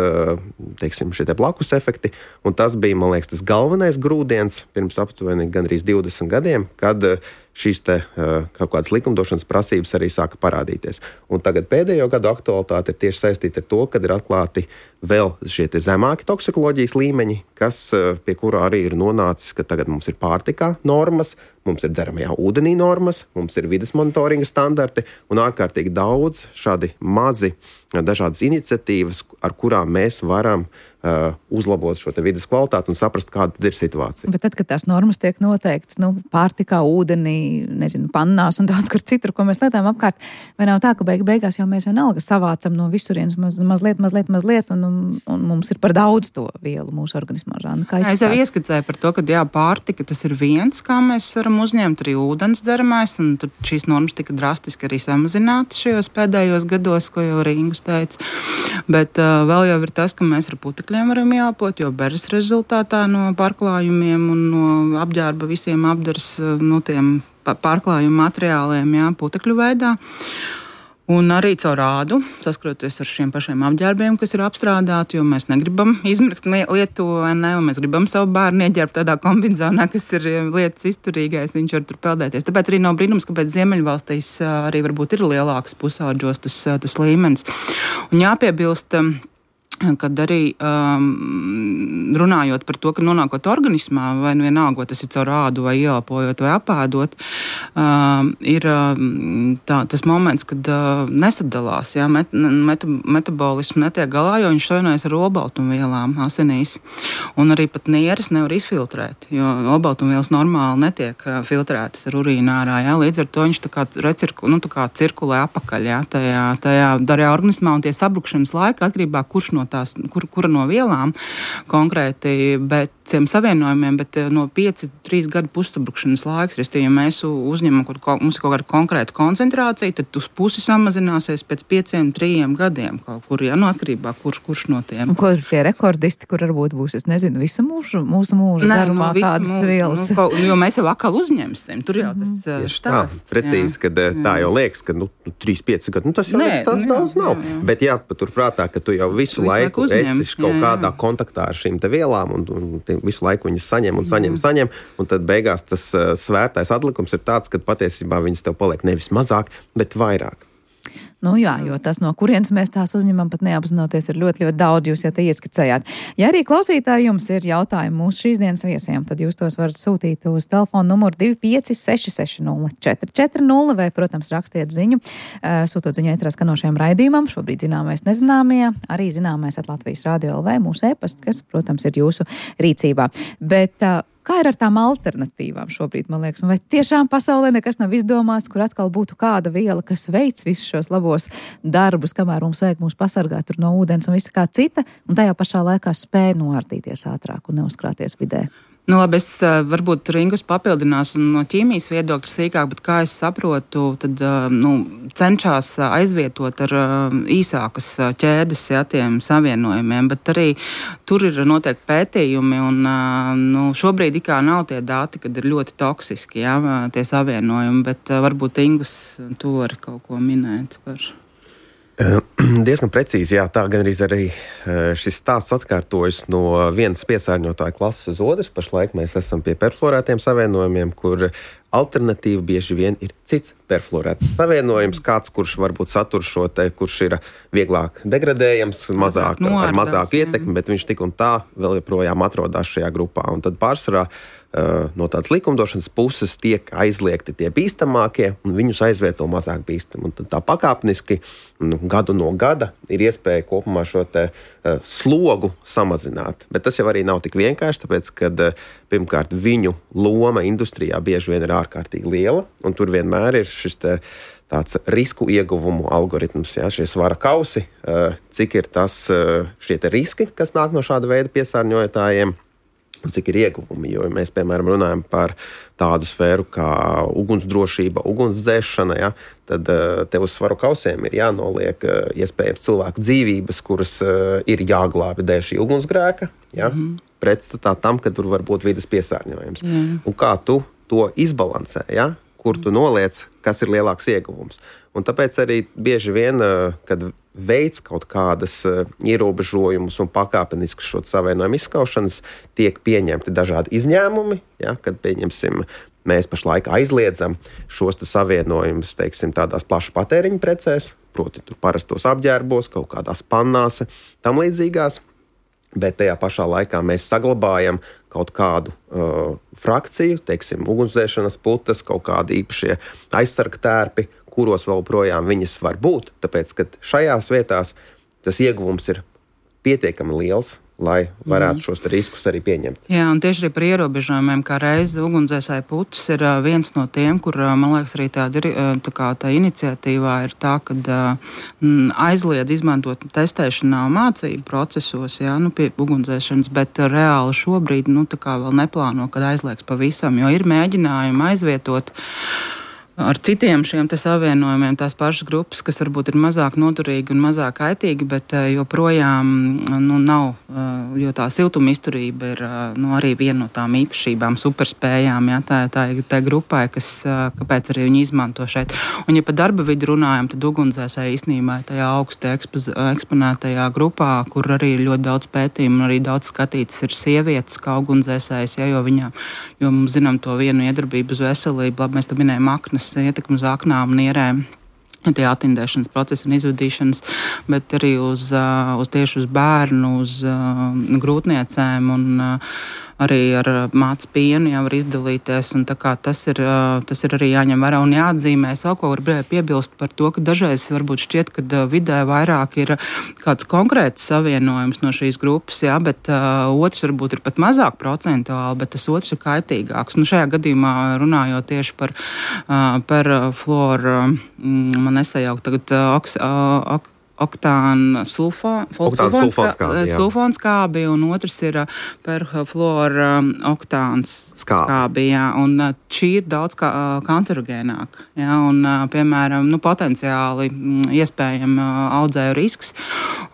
S9: teiksim, šie te blakus efekti, un tas bija, man liekas, tas galvenais grūdiens pirms aptuveni gandrīz divdesmit gadiem, kad šīs te kaut kādas likumdošanas prasības arī sāka parādīties. Un tagad pēdējo gadu aktualitāte ir tieši saistīta ar to, kad ir atklāti vēl šie te zemāki toksikoloģijas līmeņi, kas pie kura arī ir nonācis, ka tagad mums ir pārtikā normas, mums ir dzeramajā ūdenī normas, mums ir vides monitoringa standarti un ārkārtīgi daudz šādi mazi dažādas iniciatīvas, ar kurām mēs varam uh, uzlabot šo te vides kvalitāti un saprast, kāda tad ir situācija.
S2: Bet tad, kad tās normas tiek noteiktas, nu, pārtikā, ūdenī, nezinu, pannās un daudz kur citur, ko mēs lietojam apkārt, vai nav tā, ka beig beigās jau mēs vienalga savācam no visurienes maz, mazliet, mazliet, mazliet, un, un, un mums ir par daudz to vielu mūsu organismā. Žāna, kā
S8: es jau ieskicēju par to, ka jā, pārtika tas ir viens, kā mēs varam uzņemt arī ūdens dzeramais, un tad šīs normas tika drastiski arī samazinātas šajos pēdējos gados, ko jau arī Ingus teica. Bet uh, vēl jau ir tas, ka mēs ar putekļiem varam jāpot, jo beres rezultātā no pārklājumiem un no apģērba visiem apdars no tiem pārklājumu materiāliem, jā, putekļu veidā. Un arī caur ādu, saskroties ar šiem pašiem apģērbiem, kas ir apstrādāti, jo mēs negribam izmirkt lietu, vai ne, un mēs gribam savu bērnu ieģērbt tādā kombinzonā, kas ir lietas izturīgais, viņš var tur peldēties. Tāpēc arī nav brīnums, kāpēc Ziemeļvalstīs arī varbūt ir lielāks pusauģos tas, tas līmenis. Un jāpiebilst, kad arī um, runājot par to, ka nonākot organismā, vai vienalga, tas ir caur ādu, vai ieelpojot, vai apēdot, um, ir um, tā, tas moments, kad uh, nesadalās, jā, met, met, metabolismu netiek galā, jo viņš savienojas ar olbaltumvielām asinīs. Un arī pat nieres nevar izfiltrēt, jo olbaltumvielas normāli netiek uh, filtrētas ar urīnu ārā, jā, līdz ar to viņš tā kā, recirku, nu, tā kā cirkulē apakaļ, jā, tajā, tajā darījā organismā, un tie sabrukšanas laika atkarībā, kurš no tās, kur, kura no vielām konkrēti, bet ciem savienojumiem, bet no pieci, trīs gadu pussabrukšanas laiks, ja mēs uzņemam, kaut, mums ir kaut kāda konkrēta koncentrācija, tad uz pusi samazināsies pēc pieciem, trījiem gadiem kaut kur, ja, no atkarībā, kurš, kurš no tiem.
S2: Un ko ir tie rekordisti, kur varbūt būs, es nezinu, visu mūžu, mūsu mūžu Nē, garumā nu, kādas mūžu, vielas?
S8: Nu, kaut, jo mēs jau akal uzņemsim, tur jau tas mm. stāsts.
S9: Tā, precīzi, kad jā. Tā jau liekas, ka, nu, trīs, pieci gadi, nu, tas jau Nē, liekas, tāds daudz nav. Jā, jā. Bet jāpatur prātā, ka tu jau visu, visu laiku esi kaut jā, kādā jā. kontaktā ar šīm te vielām un, un visu laiku viņas saņem un saņem, mm. saņem, un tad beigās tas uh, svērtais atlikums ir tāds, ka patiesībā viņas tev paliek nevis mazāk, bet vairāk.
S2: Nu jā, jo tas, no kurienes mēs tās uzņemam, pat neapzinoties, ir ļoti, ļoti daudz, jūs jau te ieskicējāt. Ja arī klausītāji jums ir jautājumi mūsu šīs dienas viesiem, tad jūs tos varat sūtīt uz telefonu numuru divi pieci seši seši nulle četri četri nulle vai, protams, rakstiet ziņu, sūtot ziņu ēterā skanošajam raidījumam, šobrīd zināmais nezināmajā, arī zināmais at Latvijas Radio L V, mūsu e-pasts, kas, protams, ir jūsu rīcībā. Bet Kā ir ar tām alternatīvām šobrīd, man liekas? Un vai tiešām pasaulē nekas nav izdomāts, kur atkal būtu kāda viela, kas veic visus šos labos darbus, kamēr mums vajag mūs pasargāt tur no ūdens un visa kā cita, un tajā pašā laikā spēj noārdīties ātrāk un neuzkrāties vidē?
S8: Nu, labi, es varbūt Ringus papildinās un no ķīmijas viedokļa sīkāk, bet kā es saprotu, tad nu, cenšas aizvietot ar īsākas ķēdes, ja, tiem savienojumiem, bet arī tur ir notiek pētījumi un nu, šobrīd ikā nav tie dati, kad ir ļoti toksiski, ja, tie savienojumi, bet varbūt Ringus tu vari kaut ko minēt par...
S9: Diezgan precīzi, jā, tā gan arī šis stāsts atkārtojas no vienas piesārņotāja klases uz otras. Pašlaik mēs esam pie perfluorētiem savienojumiem, kur alternatīva bieži vien ir cits perfluorēts savienojums, kāds, kurš varbūt satur šo te, kurš ir vieglāk degradējams, mazāk, no, ar mazāku ietekmi, bet viņš tik un tā vēl joprojām atrodas šajā grupā. Un tad pārsvarā no tādas likumdošanas puses tiek aizliegti tie bīstamākie, un viņus aizvieto mazāk bīstami. Un tad tā pakāpeniski nu, gadu no gada ir iespēja kopumā šo te uh, slogu samazināt. Bet tas jau arī nav tik vienkārši, tāpēc, kad uh, pirmkārt viņu loma industrijā bieži vien ir ārkārtīgi liela, un tur vienmēr ir šis te tāds risku ieguvumu algoritms, ja, šie svara kausi, uh, cik ir tas uh, šie te riski, kas nāk no šāda veida piesārņotājiem, un cik ir ieguvumi, jo mēs, piemēram, runājam par tādu sfēru kā ugunsdrošība, ugunsdzēšana, ja, tad uh, te uz svaru kausiem ir jānoliek uh, iespējams cilvēku dzīvības, kuras uh, ir jāglābi dēļ šī ugunsgrēka, ja, mm. pretstatā tam, ka tur var būt vides piesārņojums. Mm. Un kā tu to izbalansē, ja, kur tu noliec, kas ir lielāks ieguvums. Un tāpēc arī bieži vien, uh, kad veids kaut kādas uh, ierobežojumus un pakāpeniski šo savienojumu izskaušanas, tiek pieņemti dažādi izņēmumi, ja, kad pieņemsim, mēs pašlaik aizliedzam šos savienojumus, teiksim, tādās plašu patēriņu precēs, proti tur parastos apģērbos, kaut kādās pannās, tam līdzīgās, bet tajā pašā laikā mēs saglabājam kaut kādu uh, frakciju, teiksim, ugunsdzēšanas putas, kaut kādi īpašie aizsarga tērpi, kuros vēl projām viņas var būt, tāpēc, ka šajās vietās tas ieguvums ir pietiekami liels, lai varētu mm. šos riskus arī pieņemt. Jā,
S8: un tieši arī par ierobežojumiem, kā reiz ugunsdzēsēju putas ir uh, viens no tiem, kur, uh, man liekas, arī tāda ir, uh, tā kā tā iniciatīvā ir tā, kad uh, aizliedz izmantot testēšanā mācību procesos, jā, nu, pie ugunsdzēšanas, bet uh, reāli šobrīd, nu, tā kā vēl neplāno, kad aizliegs pavisam, jo ir mēģinājumi aizvietot ar citiem šiem te savienojumiem tās pašas grupas, kas varbūt ir mazāk noturīgi un mazāk kaitīgi, bet joprojām nu, nav, jo tā siltuma izturība ir nu, arī viena no tām īpašībām, superspējām, jā, tā, tā, tā grupai, kas, kāpēc arī viņi izmanto šeit. Un ja par darba vidi runājam, tad ugunsdzēsēji īstenībā tajā augsti ekspoz, eksponētajā grupā, kur arī ir ļoti daudz pētījumu un arī daudz skatītas ir sievietes kā ugunsdzēsējas, ja, jo viņām, jo mums zinām to vienu iedarbību uz veselību, labi, mēs to minējam aknas, ietekmi uz aknām un ierēm, tie attindēšanas procesi un izvadīšanas, bet arī uz, uz tieši uz bērnu, uz uh, grūtniecēm un uh, arī ar mācu pienu jau var izdalīties, un tā kā tas ir, uh, tas ir arī jāņem vērā un jāatzīmē. Es vēl ko varu piebilst par to, ka dažreiz varbūt šķiet, ka vidē vairāk ir kāds konkrēts savienojums no šīs grupas, jā, bet uh, otrs varbūt ir pat mazāk procentuāli, bet tas otrs ir kaitīgāks. Nu, šajā gadījumā runājot tieši par, uh, par fluoru, mm, man nesajaukt tagad uh, oks, uh, ok, oktāna sulfonskābi, un otrs ir perfluora oktāns skābi, jā, un šī ir daudz kā, kancerogēnāka, jā, un, piemēram, nu, potenciāli iespējami audzēju risks,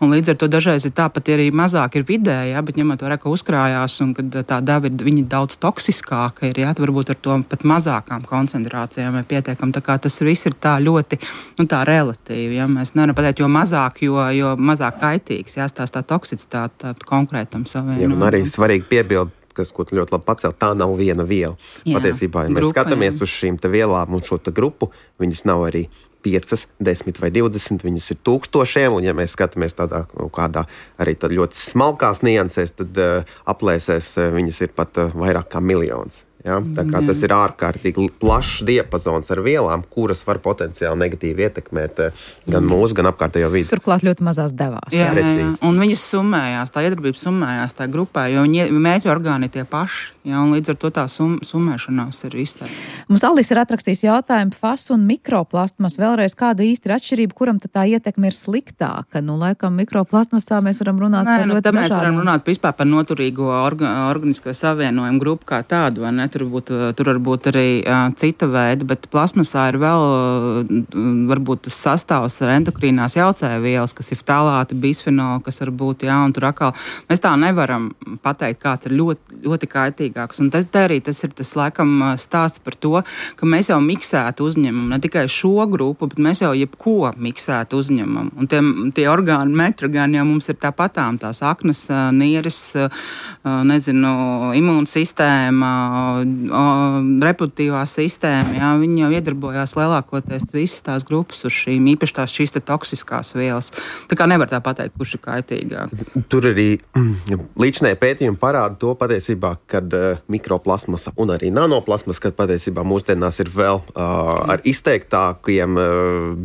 S8: un līdz ar to dažreiz ir tāpat arī mazāk ir vidē, jā, bet ņemot vērā, ka uzkrājās, un kad tā deva ir, viņa daudz toksiskāka ir, jā, varbūt ar to pat mazākām koncentrācijām vai pietiekam, tā kā tas viss ir tā ļoti, nu, tā relatīvi, jā, mēs nevaram pateikt, jo mazāk Jo, jo mazāk kaitīgs, jāstāst tā toksicitāte konkrētam savienojumam.
S9: Jā, un arī svarīgi piebilst, kas, ko tu ļoti labi pacēl, tā nav viena viela. Jā, Patiesībā, ja mēs grupa, skatāmies jā. Uz šīm te vielām un šo te grupu, viņas nav arī piecas, desmit vai divdesmit, viņas ir tūkstošiem, un ja mēs skatāmies tādā kādā arī tad ļoti smalkās niansēs, tad uh, aplēsēs uh, viņas ir pat uh, vairāk kā miljons. Ja? Tā kā tas ir ārkārtīgi plašs diapazons ar vielām, kuras var potenciāli negatīvi ietekmēt gan mūsu, gan apkārtējo vidi.
S2: Turklāt ļoti mazās devās.
S8: Jā, jā, jā. Un viņas summējās, tā iedarbība summējās tā grupā, jo viņi mērķi orgāni tie paši. Jā, un līdz ar to tā sum, summēšanās ir izteikta.
S2: Mums Alis ir atrakstījis jautājumu F A S un mikroplastmas. Vēlreiz, kāda īsti ir atšķirība, kuram tad tā ietekme ir sliktāka? Nu, laikam mikroplastmasā mēs varam runāt Nē, par
S8: nu,
S2: ļoti dažādiem.
S8: Mēs varam runāt vispār par noturīgo orga, organisko savienojumu grupu kā tādu, vai ne? Tur, būt, tur var būt arī uh, cita veida, bet plastmasā ir vēl uh, varbūt tas sastāvs ar endokrīnās jaucējvielas, kas ir ftalāti, bisfenoli, kas var būt, jā, un tur atkal mēs tā nevaram pateikt, kāds ir ļoti, ļoti kaitīgāks. Un tas arī tas ir tas laikam stāsts par to, ka mēs jau miksētu uzņemam, ne tikai šo grupu, bet mēs jau jebko miksētu uzņemam. Un tie, tie orgāni, metrogāni jau mums ir tāpatām, tās aknas, nieres, nezinu, imūnsistēma, reproduktīvā sistēma, jā, viņi jau iedarbojās lielākoties visas tās grupas uz šīm, īpaši tās šīs te toksiskās vielas. Tā kā nevar tā pateikt, kurš ir kaitīgāks.
S9: Tur arī līdšanai pētījumi parāda to patiesībā, kad uh, mikroplasmasa un arī nanoplasmasa, kad patiesībā mūsdienās ir vēl uh, ar izteiktākiem uh,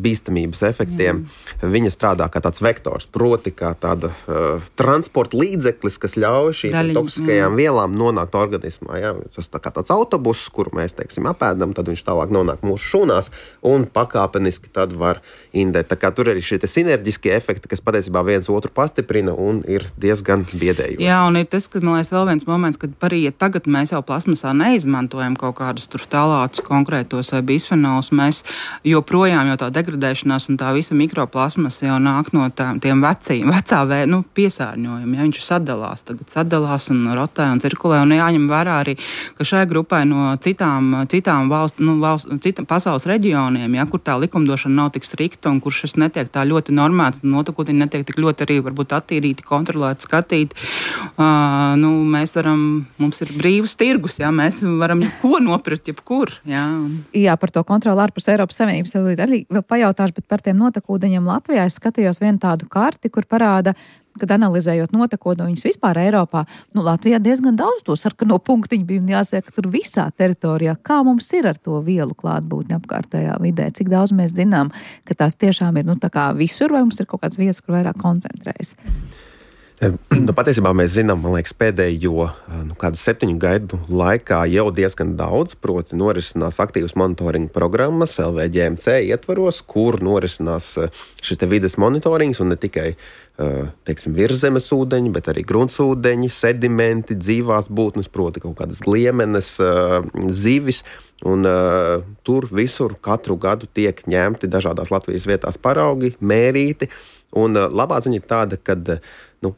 S9: bīstamības efektiem. Mm. Viņa strādā kā tāds vektors, proti kā tāda uh, transporta līdzeklis, kas ļauj šīm toksiskajām mm. vielām nonākt organismā. Jā. Tas tā kā tāds autobuss, kuru mēs, teiksim, apēdam, tad viņš tālāk nonāk mūsu šūnās un pakāpeniski tad var indēt. Tā kā tur arī šie sinerģiskie efekti, kas patiesībā viens otru pastiprina un ir diezgan biedējoši.
S8: Jā, un ir tas, ka, man liekas, vēl viens moments, kad arī, ja tagad mēs jau plasmasā neizmantojam kaut kādus tur ftalātus konkrētos vai bisfenols, mēs joprojām jau tā degradēšanās un tā visa mikroplasmasa jau nāk no tā, tiem veciem, vecā vē, nu, piesārņojumi. Ja, viņš sadalās, tagad sadalās un rotē un cirkulē, un jāņem vērā arī, ka šai grupai no citām, citām valsts, nu, valsts, citām pasaules reģioniem, ja, kur tā likumdošana nav tik strikta un kur šis netiek tā ļoti normēts, notekūtiņi netiek tik ļoti arī varbūt attīrīti, kontrolēti, skatīti. Uh, nu, mēs varam, mums ir brīvs tirgus, ja, mēs varam ko nopirkt, jebkur. Ja.
S2: Jā, par to kontroli ārpus Eiropas Savienības arī vēl pajautāšu, bet par tiem notekūdeņiem Latvijā es skatījos vienu tādu karti, kur parāda, kad analizējot notekūdeņus vispār Eiropā, nu, Latvijā diezgan daudz to sarkano punktiņu bija un jāsaka, ka tur visā teritorijā, kā mums ir ar to vielu klātbūtni apkārtējā vidē, cik daudz mēs zinām, ka tās tiešām ir, nu, tā kā visur, vai mums ir kaut kāds vietas, kur vairāk koncentrējas?
S9: Nu, patiesībā mēs zinām, man liekas, pēdējo nu, kādu septiņu gadu laikā jau diezgan daudz, proti norisinās aktīvas monitoringa programmas L V G M C ietvaros, kur norisinās šis te vides monitorings un ne tikai teiksim, virszemes ūdeņi, bet arī gruntsūdeņi, sedimenti, dzīvās būtnes, proti kaut kādas gliemenes, zivis. Un, uh, tur visur katru gadu tiek ņemti dažādās Latvijas vietās paraugi, mērīti. Un uh, labā ziņa ir tāda, ka uh, nu,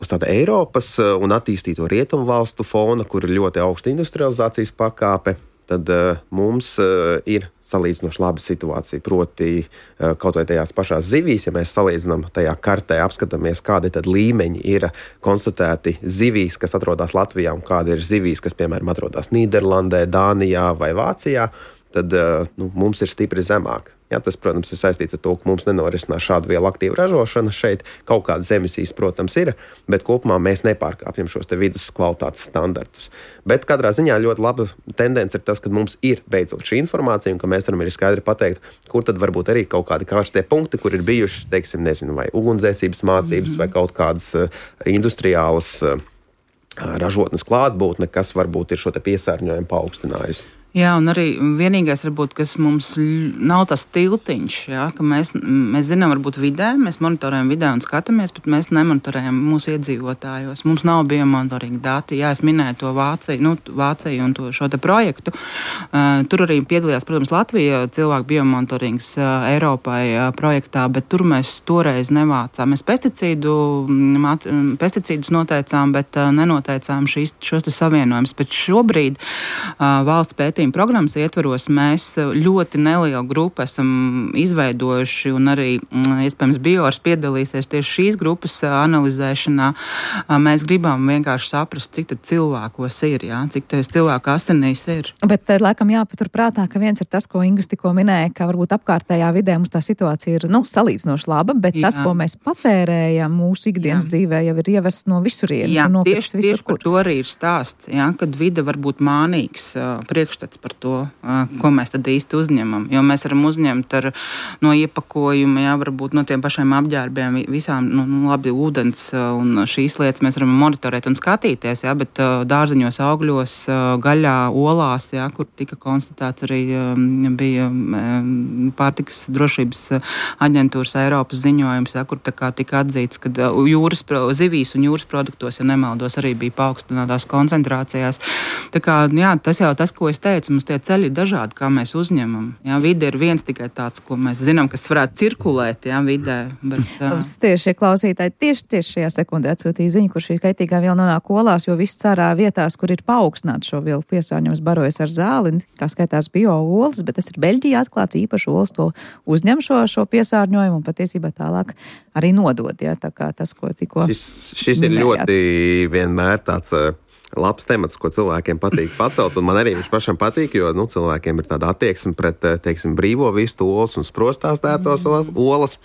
S9: uz tāda Eiropas uh, un attīstīto rietumu valstu fona, kur ir ļoti augsta industrializācijas pakāpe, tad uh, mums uh, ir salīdzinoši laba situācija. Proti, uh, kaut vai tajās pašās zivīs, ja mēs salīdzinām tajā kartē, apskatāmies, kādi tad līmeņi ir konstatēti zivīs, kas atrodas Latvijā, un kādi ir zivīs, kas, piemēram, atrodas Nīderlandē, Dānijā vai Vācijā, tad uh, nu, mums ir stipri zemāk. Ja, tas, protams, ir saistīts ar to, ka mums nenorisinās šādu vielu aktīvu ražošana šeit. Kaut kādas emisijas, protams, ir, bet kopumā mēs nepārkāpjam šos te vidus kvalitātes standartus. Bet katrā ziņā ļoti laba tendence ir tas, ka mums ir beidzot šī informācija un ka mēs varam arī skaidri pateikt, kur tad varbūt arī kaut kādi karstie punkti, kur ir bijuši, teiksim, nezinu, vai ugunsdzēsības mācības mm-hmm. vai kaut kādas uh, industriālas uh, ražotnes klātbūtne, kas varbūt ir šo te piesārņojumu paaugstinājusi.
S8: Jā, un arī vienīgais, varbūt, kas mums nav tas tiltiņš, jā, ka mēs, mēs zinām, varbūt vidē, mēs monitorējam vidē un skatāmies, bet mēs nemonitorējam mūsu iedzīvotājos. Mums nav biomonitoringa dati. Jā, es minēju to Vāciju, nu, Vāciju un to, šo te projektu. Uh, tur arī piedalījās, protams, Latvija cilvēku biomonitorings uh, Eiropai uh, projektā, bet tur mēs toreiz nevācām. Mēs pesticīdu, mat, pesticīdus noteicām, bet uh, nenoteicām šīs, šos te savienojumus. Bet šobrīd uh, valsts pētījums programmas ietvaros mēs ļoti nelielu grupu esam izveidojuši un arī, iespējams, Biors piedalīsies tieši šīs grupas analizēšanā. Mēs gribam vienkārši saprast, cik tad cilvēkos ir, jā, cik tas cilvēku asinīs ir.
S2: Bet laikam jāpatur prātā, ka viens ir tas, ko Ingus tikko minēja, ka varbūt apkārtējā vidē mums tā situācija ir, nu, salīdzinoši laba, bet jā. Tas, ko mēs patērējam mūsu ikdienas jā. Dzīvē, jau ir ievests no visurienes.
S8: Jā,
S2: un
S8: tieši,
S2: visur,
S8: tieši par to arī ir stāsts, jā, kad vide var būt mānīgs uh, priekšstats saprotas par to, ko mēs tad īsti uzņemam. Jo mēs varam uzņemt ar, no iepakojuma, jā, varbūt no tiem pašiem apģērbiem, visām, nu, labi, ūdens un šīs lietas mēs varam monitorēt un skatīties, jā, bet dārzeņos, augļos, gaļā, olās, jā, kur tika konstatēts arī bija pārtikas drošības aģentūras Eiropas ziņojums, jā, kur tā kā tika atzīts, ka jūras, zivīs un jūras produktos, ja nemaldos, arī bija paaugstinātās koncentrācijās. Tā kā, jā, tas jau tas, ko es teicu, mums tie ceļi ir dažādi, kā mēs uzņemam. Jā, vide ir viens tikai tāds, ko mēs zinām, kas varētu cirkulēt, jā, vidē. Bet,
S2: mums tieši šie klausītāji tieši, tieši šajā sekundē atsūtīja ziņu, kur šī kaitīgā viela nonāk olās, jo viss cerā vietās, kur ir paaugstināts šo vielu piesārņojums, barojas ar zāli, kā skaitās bio-olas, bet tas ir Beļģijā atklāts, īpaši olas to uzņem šo, šo piesārņojumu un patiesībā tālāk arī nodod, jā, tā kā tas, ko tikko
S9: Šis, šis ir ļoti vienmēr tāds uh, labs temats, ko cilvēkiem patīk pacelt, un man arī viņš pašam patīk, jo nu, cilvēkiem ir tāda attieksme pret, teiksim, brīvo vistu olas un sprostās tētos olas, olas,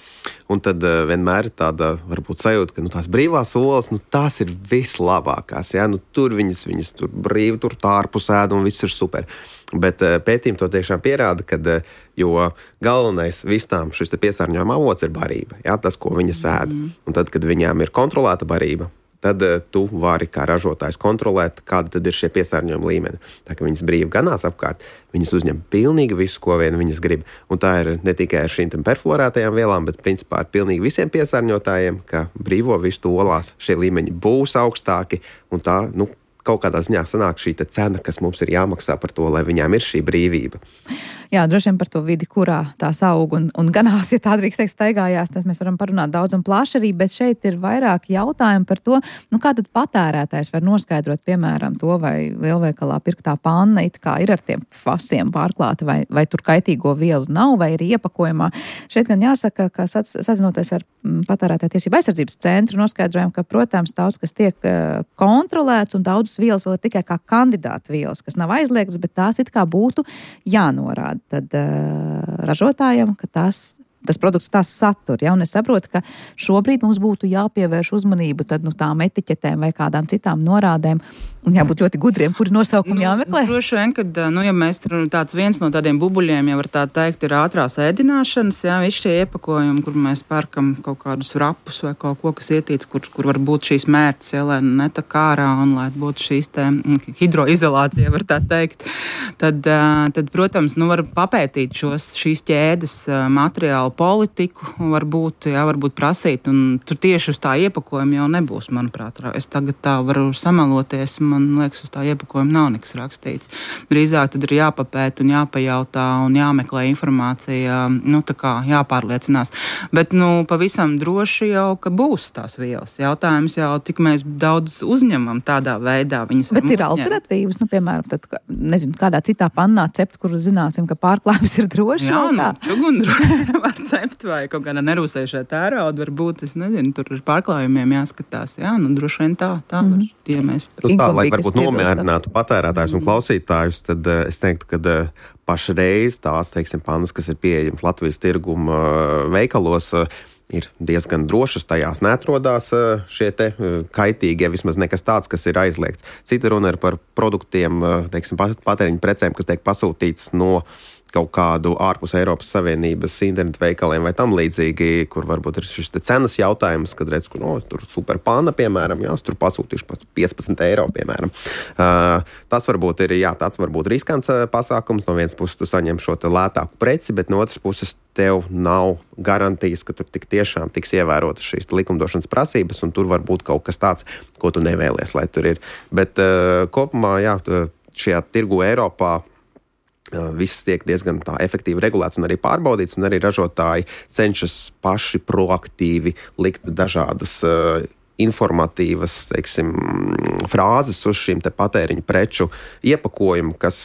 S9: un tad uh, vienmēr ir tāda, varbūt sajūta, ka nu, tās brīvās olas, nu, tās ir vislabākās, jā, nu, tur viņas, viņas tur brīvi, tur tārpus ēd, un viss ir super. Bet uh, pētījumi to tiešām pierāda, kad, uh, jo galvenais vistām šis piesārņojuma avots ir barība, jā, tas, ko viņas ēd. Mm. Un tad, kad viņām ir kontrolēta barība, tad uh, tu vari kā ražotājs kontrolēt, kāda tad ir šie piesārņojuma līmeni. Tā kā viņas brīvi ganās apkārt, viņas uzņem pilnīgi visu, ko vien viņas grib. Un tā ir ne tikai ar šīm perfluorētajām vielām, bet principā ar pilnīgi visiem piesārņotājiem, ka brīvo vistu olās šie līmeņi būs augstāki, un tā, nu, kaut kādā ziņā sanāk šī cena, kas mums ir jāmaksā par to, lai viņām ir šī brīvība.
S2: Jā, droši vien par to vidi, kurā tās aug un, un ganās, ja tā drīkst teikt, staigājās, tad mēs varam parunāt daudz un plaši arī, bet šeit ir vairāk jautājumu par to, nu kā tad patērētājs var noskaidrot, piemēram, to, vai lielveikalā pirktā panna it kā ir ar tiem fasiem pārklāta, vai, vai tur kaitīgo vielu nav, vai ir iepakojumā. Šeit gan jāsaka, ka sazinoties ar patērētāju tiesību aizsardzības centru, noskaidrojam, ka, protams, daudz, kas tiek kontrolēts un daudzas vielas vēl ir tikai kā kandidāta vielas, kas nav aizliegtas, bet tās it kā būtu jānorāda. Tad uh, ražotājiem, ka tas, tas produkts tās satur. Ja? Un es saprotu, ka šobrīd mums būtu jāpievērš uzmanību tad, nu, tām etiķetēm vai kādām citām norādēm un jābūt ļoti gudriem, kuri nosaukumi jāmeklē.
S8: Nu, droši vien, kad, nu, ja mēs tāds viens no tādiem bubuļiem, ja var tā teikt, ir ātrās ēdināšanas, jā, visi šie iepakojumi, kur mēs pērkam kaut kādus rapus vai kaut ko, kas ietīts, kur, kur var būt šīs mērķis, ja, lai netak ārā un lai būtu šīs te hidroizolācija, var tā teikt, tad, tad protams, nu, var papētīt šos, šīs ķēdes materiālu politiku, varbūt, jā, varbūt prasīt, un tur tieši uz tā iepakojuma jau nebūs, manuprāt. Es tagad tā varu samaloties, man liekas, uz tā iepakojuma nav nekas rakstīts. Drīzāk tad ir jāpapēt un jāpajautā un jāmeklē informācija, nu tā kā jāpārliecinās. Bet, nu, pavisam droši jau, ka būs tās vielas. Jautājums jau, cik mēs daudz uzņemam tādā veidā. Viņas
S2: Bet ir alternatīvas, nu, piemēram, tad, nezinu, kādā citā pannā cept, kur zināsim, ka pārklājums ir droši.
S8: Jā, nu, čugun droši var cept vai kaut kādā nerūsējušā tērauda, varbūt, es nezinu, tur ar pārklājumiem jāskatās. Jā, nu, droši vien tā, tā var, mm-hmm. tie mēs.
S9: Tā, lai varbūt nomierinātu patērētājus un klausītājus, tad uh, es teiktu, ka uh, pašreiz tās, teiksim, pannas, kas ir pieejams Latvijas tirguma uh, veikalos, uh, ir diezgan drošas, tajās neatrodās uh, šie te uh, kaitīgie, vismaz nekas tāds, kas ir aizliegts. Cita runa ir par produktiem, uh, teiksim, patēriņu precēm, kas tiek pasūtīts no kaut kādu ārpus Eiropas Savienības internetu veikaliem vai tam līdzīgi, kur varbūt ir šis te cenas jautājums, kad redz, ka no, tur super panna, piemēram, jā, tur pasūtīšu pat piecpadsmit eiro, piemēram. Uh, tas varbūt ir, jā, tāds varbūt riskants uh, pasākums. No vienas puses tu saņem šo te lētāku preci, bet no otras puses tev nav garantijas, ka tur tik tiešām tiks ievērotas šīs likumdošanas prasības, un tur var būt kaut kas tāds, ko tu nevēlies, lai tur ir. Bet uh, kopumā, jā, šajā tirgu Eiropā viss tiek diezgan tā efektīvi regulēts un arī pārbaudīts, un arī ražotāji cenšas paši proaktīvi likt dažādas uh, informatīvas, teiksim, frāzes uz šīm te patēriņu preču iepakojumu, kas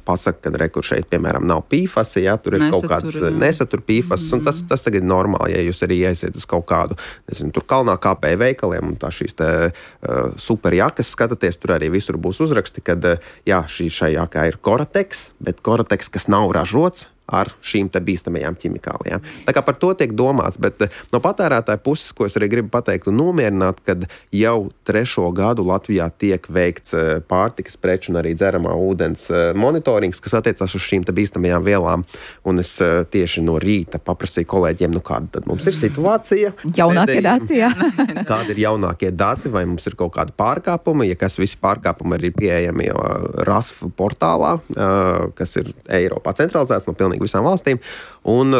S9: pasaka, ka rekur šeit, piemēram, nav pīfasi, ja tur ir nesatur, kaut kāds jā. nesatur pīfasas, un tas, tas tagad ir normāli, ja jūs arī aiziet uz kaut kādu, nezinu, tur kalnā kāpēju veikaliem, un tā šīs te uh, superjakas skatāties, tur arī visur būs uzraksti, kad, uh, jā, šī šai jakā ir Gore-Tex, bet Gore-Tex, kas nav ražots, ar šīm te bīstamajām ķimikālijām. Tā kā par to tiek domāts, bet no patērētāja puses, ko es arī gribu pateikt un nomierināt, kad jau trešo gadu Latvijā tiek veikts pārtikas preču un arī dzeramā ūdens monitorings, kas attiecās uz šīm te bīstamajām vielām, un es tieši no rīta paprasīju kolēģiem, nu kāda tad mums ir situācija.
S2: Jaunākie dati, jā.
S9: Kādi ir jaunākie dati, vai mums ir kaut kāda pārkāpuma, ja kas visi pārkāpumi ir pieejami R A S F portālā, kas ir Eiropā centralizēts no pilnīgi visām valstīm, un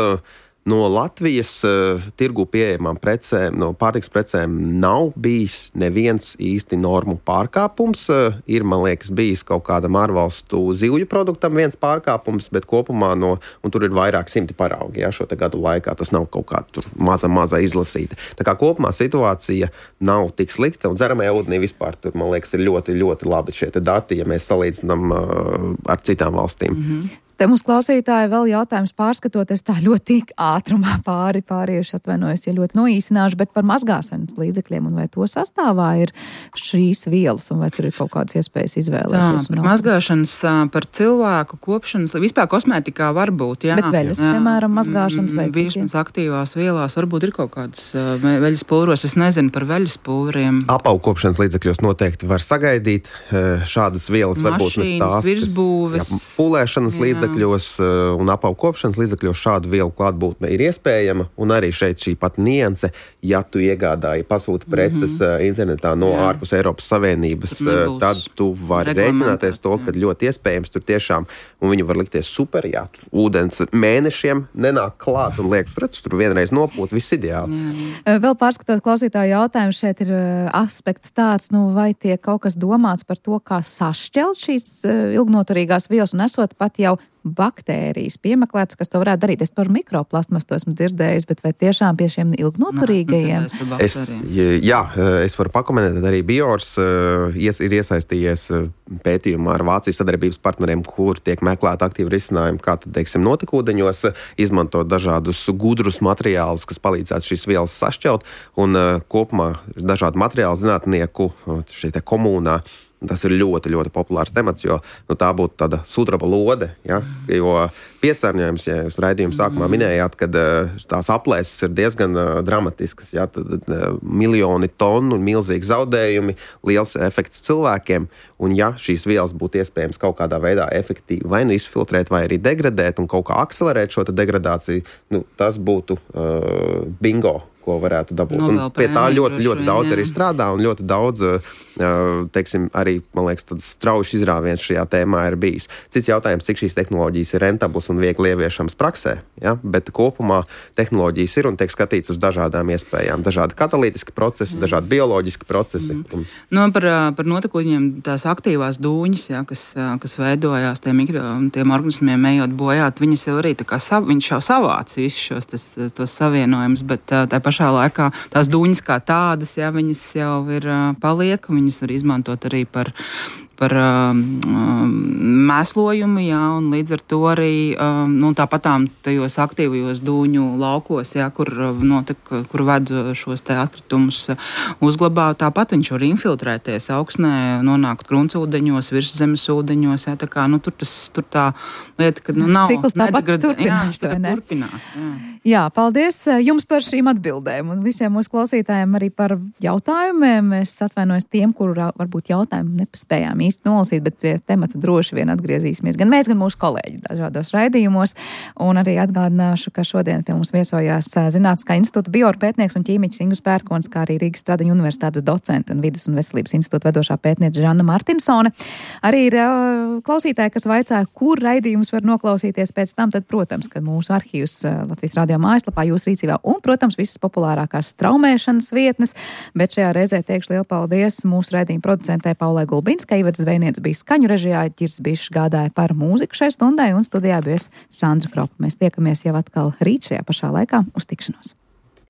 S9: no Latvijas uh, tirgu pieejamām precēm, no pārtikas precēm nav bijis neviens īsti normu pārkāpums. Uh, ir, man liekas, bijis kaut kādam ārvalstu zivju produktam viens pārkāpums, bet kopumā no, un tur ir vairāk simti paraugi, jā, šo te gadu laikā, tas nav kaut kā tur maza, maza izlasīta. Tā kā kopumā situācija nav tik slikta, un dzeramajā ūdenī vispār tur, man liekas, ir ļoti, ļoti labi šie te dati, ja mēs salīdzinām uh, ar citām valstīm.
S2: Mm-hmm. Te mums klausītāji vēl jautājums pārskatoties tā ļoti ātrumā pāri pārieši, atvainojos, ja ļoti noīsināšu, bet par mazgāšanas līdzekļiem un vai to sastāvā ir šīs vielas un vai tur ir kaut kādas iespējas izvēlēties.
S8: Tā, par mazgāšanas, par cilvēku kopšanas, vispār kosmētikā var būt, jā.
S2: Bet veļas, jā, piemēram, mazgāšanas vai
S8: virsmas aktīvās vielās, varbūt ir kaut kādas veļas pulveros, es nezinu par veļas pulveriem.
S9: Apaugkopšanas līdzekļos noteikti var sagaidīt šādas vielas, varbūt ne tās,
S8: virsbūves,
S9: jā, pulēšanas līdzekļos un apaugkopšanas līdzekļos šādu vielu klātbūtne ir iespējama, un arī šeit šī pat nianse, ja tu iegādāji pasūti preces mm-hmm. internetā no jā. Ārpus Eiropas Savienības, tad tu vari rēķināties to, ka ļoti iespējams tur tiešām, un viņi var likties super, jā, ūdens mēnešiem nenāk klāt un liekas, redz, tur vienreiz nopūt, viss ideāli.
S2: Jā. Vēl pārskatot klausītāju jautājumu, šeit ir aspekts tāds, nu vai tiek kaut kas domāts par to, kā sašķelt šīs ilgnoturīgās vielas un esot pat jau baktērijas piemeklētas, kas to varētu darīt. Es par mikroplastmas to esmu dzirdējis, bet vai tiešām pie šiem ilgnoturīgajiem?
S9: Es, jā, es varu pakomentēt, arī Biors ies, ir iesaistījies pētījumā ar Vācijas sadarbības partneriem, kur tiek meklēt aktīvi risinājumi, kā tad, teiksim, notekūdeņos izmantot dažādus gudrus materiālus, kas palīdzētu šīs vielas sašķelt, un kopumā dažādu materiālu zinātnieku šī te komunā. Tas ir ļoti, ļoti populārs temats, jo nu, tā būtu tāda sudraba lode, ja? Jo piesārņojums, ja jūs raidījuma sākumā minējāt, kad tās aplēses ir diezgan uh, dramatiskas, ja? Tad uh, miljoni tonu, milzīgi zaudējumi, liels efekts cilvēkiem, un ja šīs vielas būtu iespējams kaut kādā veidā efektīvi vai nu izfiltrēt, vai arī degradēt un kaut kā akcelerēt šo degradāciju, nu, tas būtu uh, bingo, ko varētu dabūt. Un pie tā ļoti, ļoti daudz arī strādā un ļoti daudz, teiksim, arī, man liekas, tāds strauji izrāviens šajā tēmā ir bijis. Cits jautājums, cik šīs tehnoloģijas ir rentablas un viegli ieviešams praksē, ja? Bet kopumā tehnoloģijas ir un tiek skatīts uz dažādām iespējām. Dažādi katalītiski procesi, mm. dažādi bioloģiski procesi. Mm.
S8: No, par, par notekūdeņiem tās aktīvās dūņas, ja, kas, kas veidojās tiem, mikro, tiem organismiem ejot bojāt, viņas jau arī tā kā sav, viņš jau savāc visus šos tas, tos savienojumus, bet tā pašā laikā tās dūņas kā tādas, ja, viņas jau ir paliek, viņas var izmantot arī par, par um, mēslojumu, jā, un līdz ar to arī um, nu, tāpatām tajos aktīvajos dūņu laukos, jā, kur, notek, kur ved šos te atkritumus uzglabā, tāpat viņš var infiltrēties augsnē, nonākt gruntsūdeņos, virszemes ūdeņos, jā, tā kā, nu, tur tas, tur tā lieta, ka, nu, nav...
S2: Cikls tāpat turpinās,
S8: jā,
S2: vai ne?
S8: Turpinās, jā.
S2: Jā, paldies jums par šīm atbildēm un visiem mūsu klausītājiem arī par jautājumiem. Es atvainojos tiem, kuru varbūt jautājumu nepaspējām īsti nolasīt, bet pie temata droši vien atgriezīsimies. Gan mēs, gan mūsu kolēģi dažādos raidījumos. Un arī atgādināšu, ka šodien pie mums viesojās Zinātniskā institūta biopētnieks un ķīmiķis Ingus Pērkons, kā arī Rīgas Stradiņu universitātes docente un Vides un veselības institūta vedošā pētniece Žanna Martinsone. Arī ir klausītāji, kas vaicāja, kur raidījums var noklausīties pēc tam, tad, protams, ka mūsu arhīvs Latvijas radio mājaslapā jūsu rīcībā un, protams, visas populārākās straumēšanas vietnes, bet šajā reizē teikšu lielu paldies mūsu raidījuma producentē Paulai Gulbinskai, Ivatas Zvejniece bija skaņu režijā, Ķirs Bišs gādāja par mūziku šai stundai un studijā bija Sandra Kropa. Mēs tiekamies jau atkal rīt šajā pašā laikā. Uz tikšanos!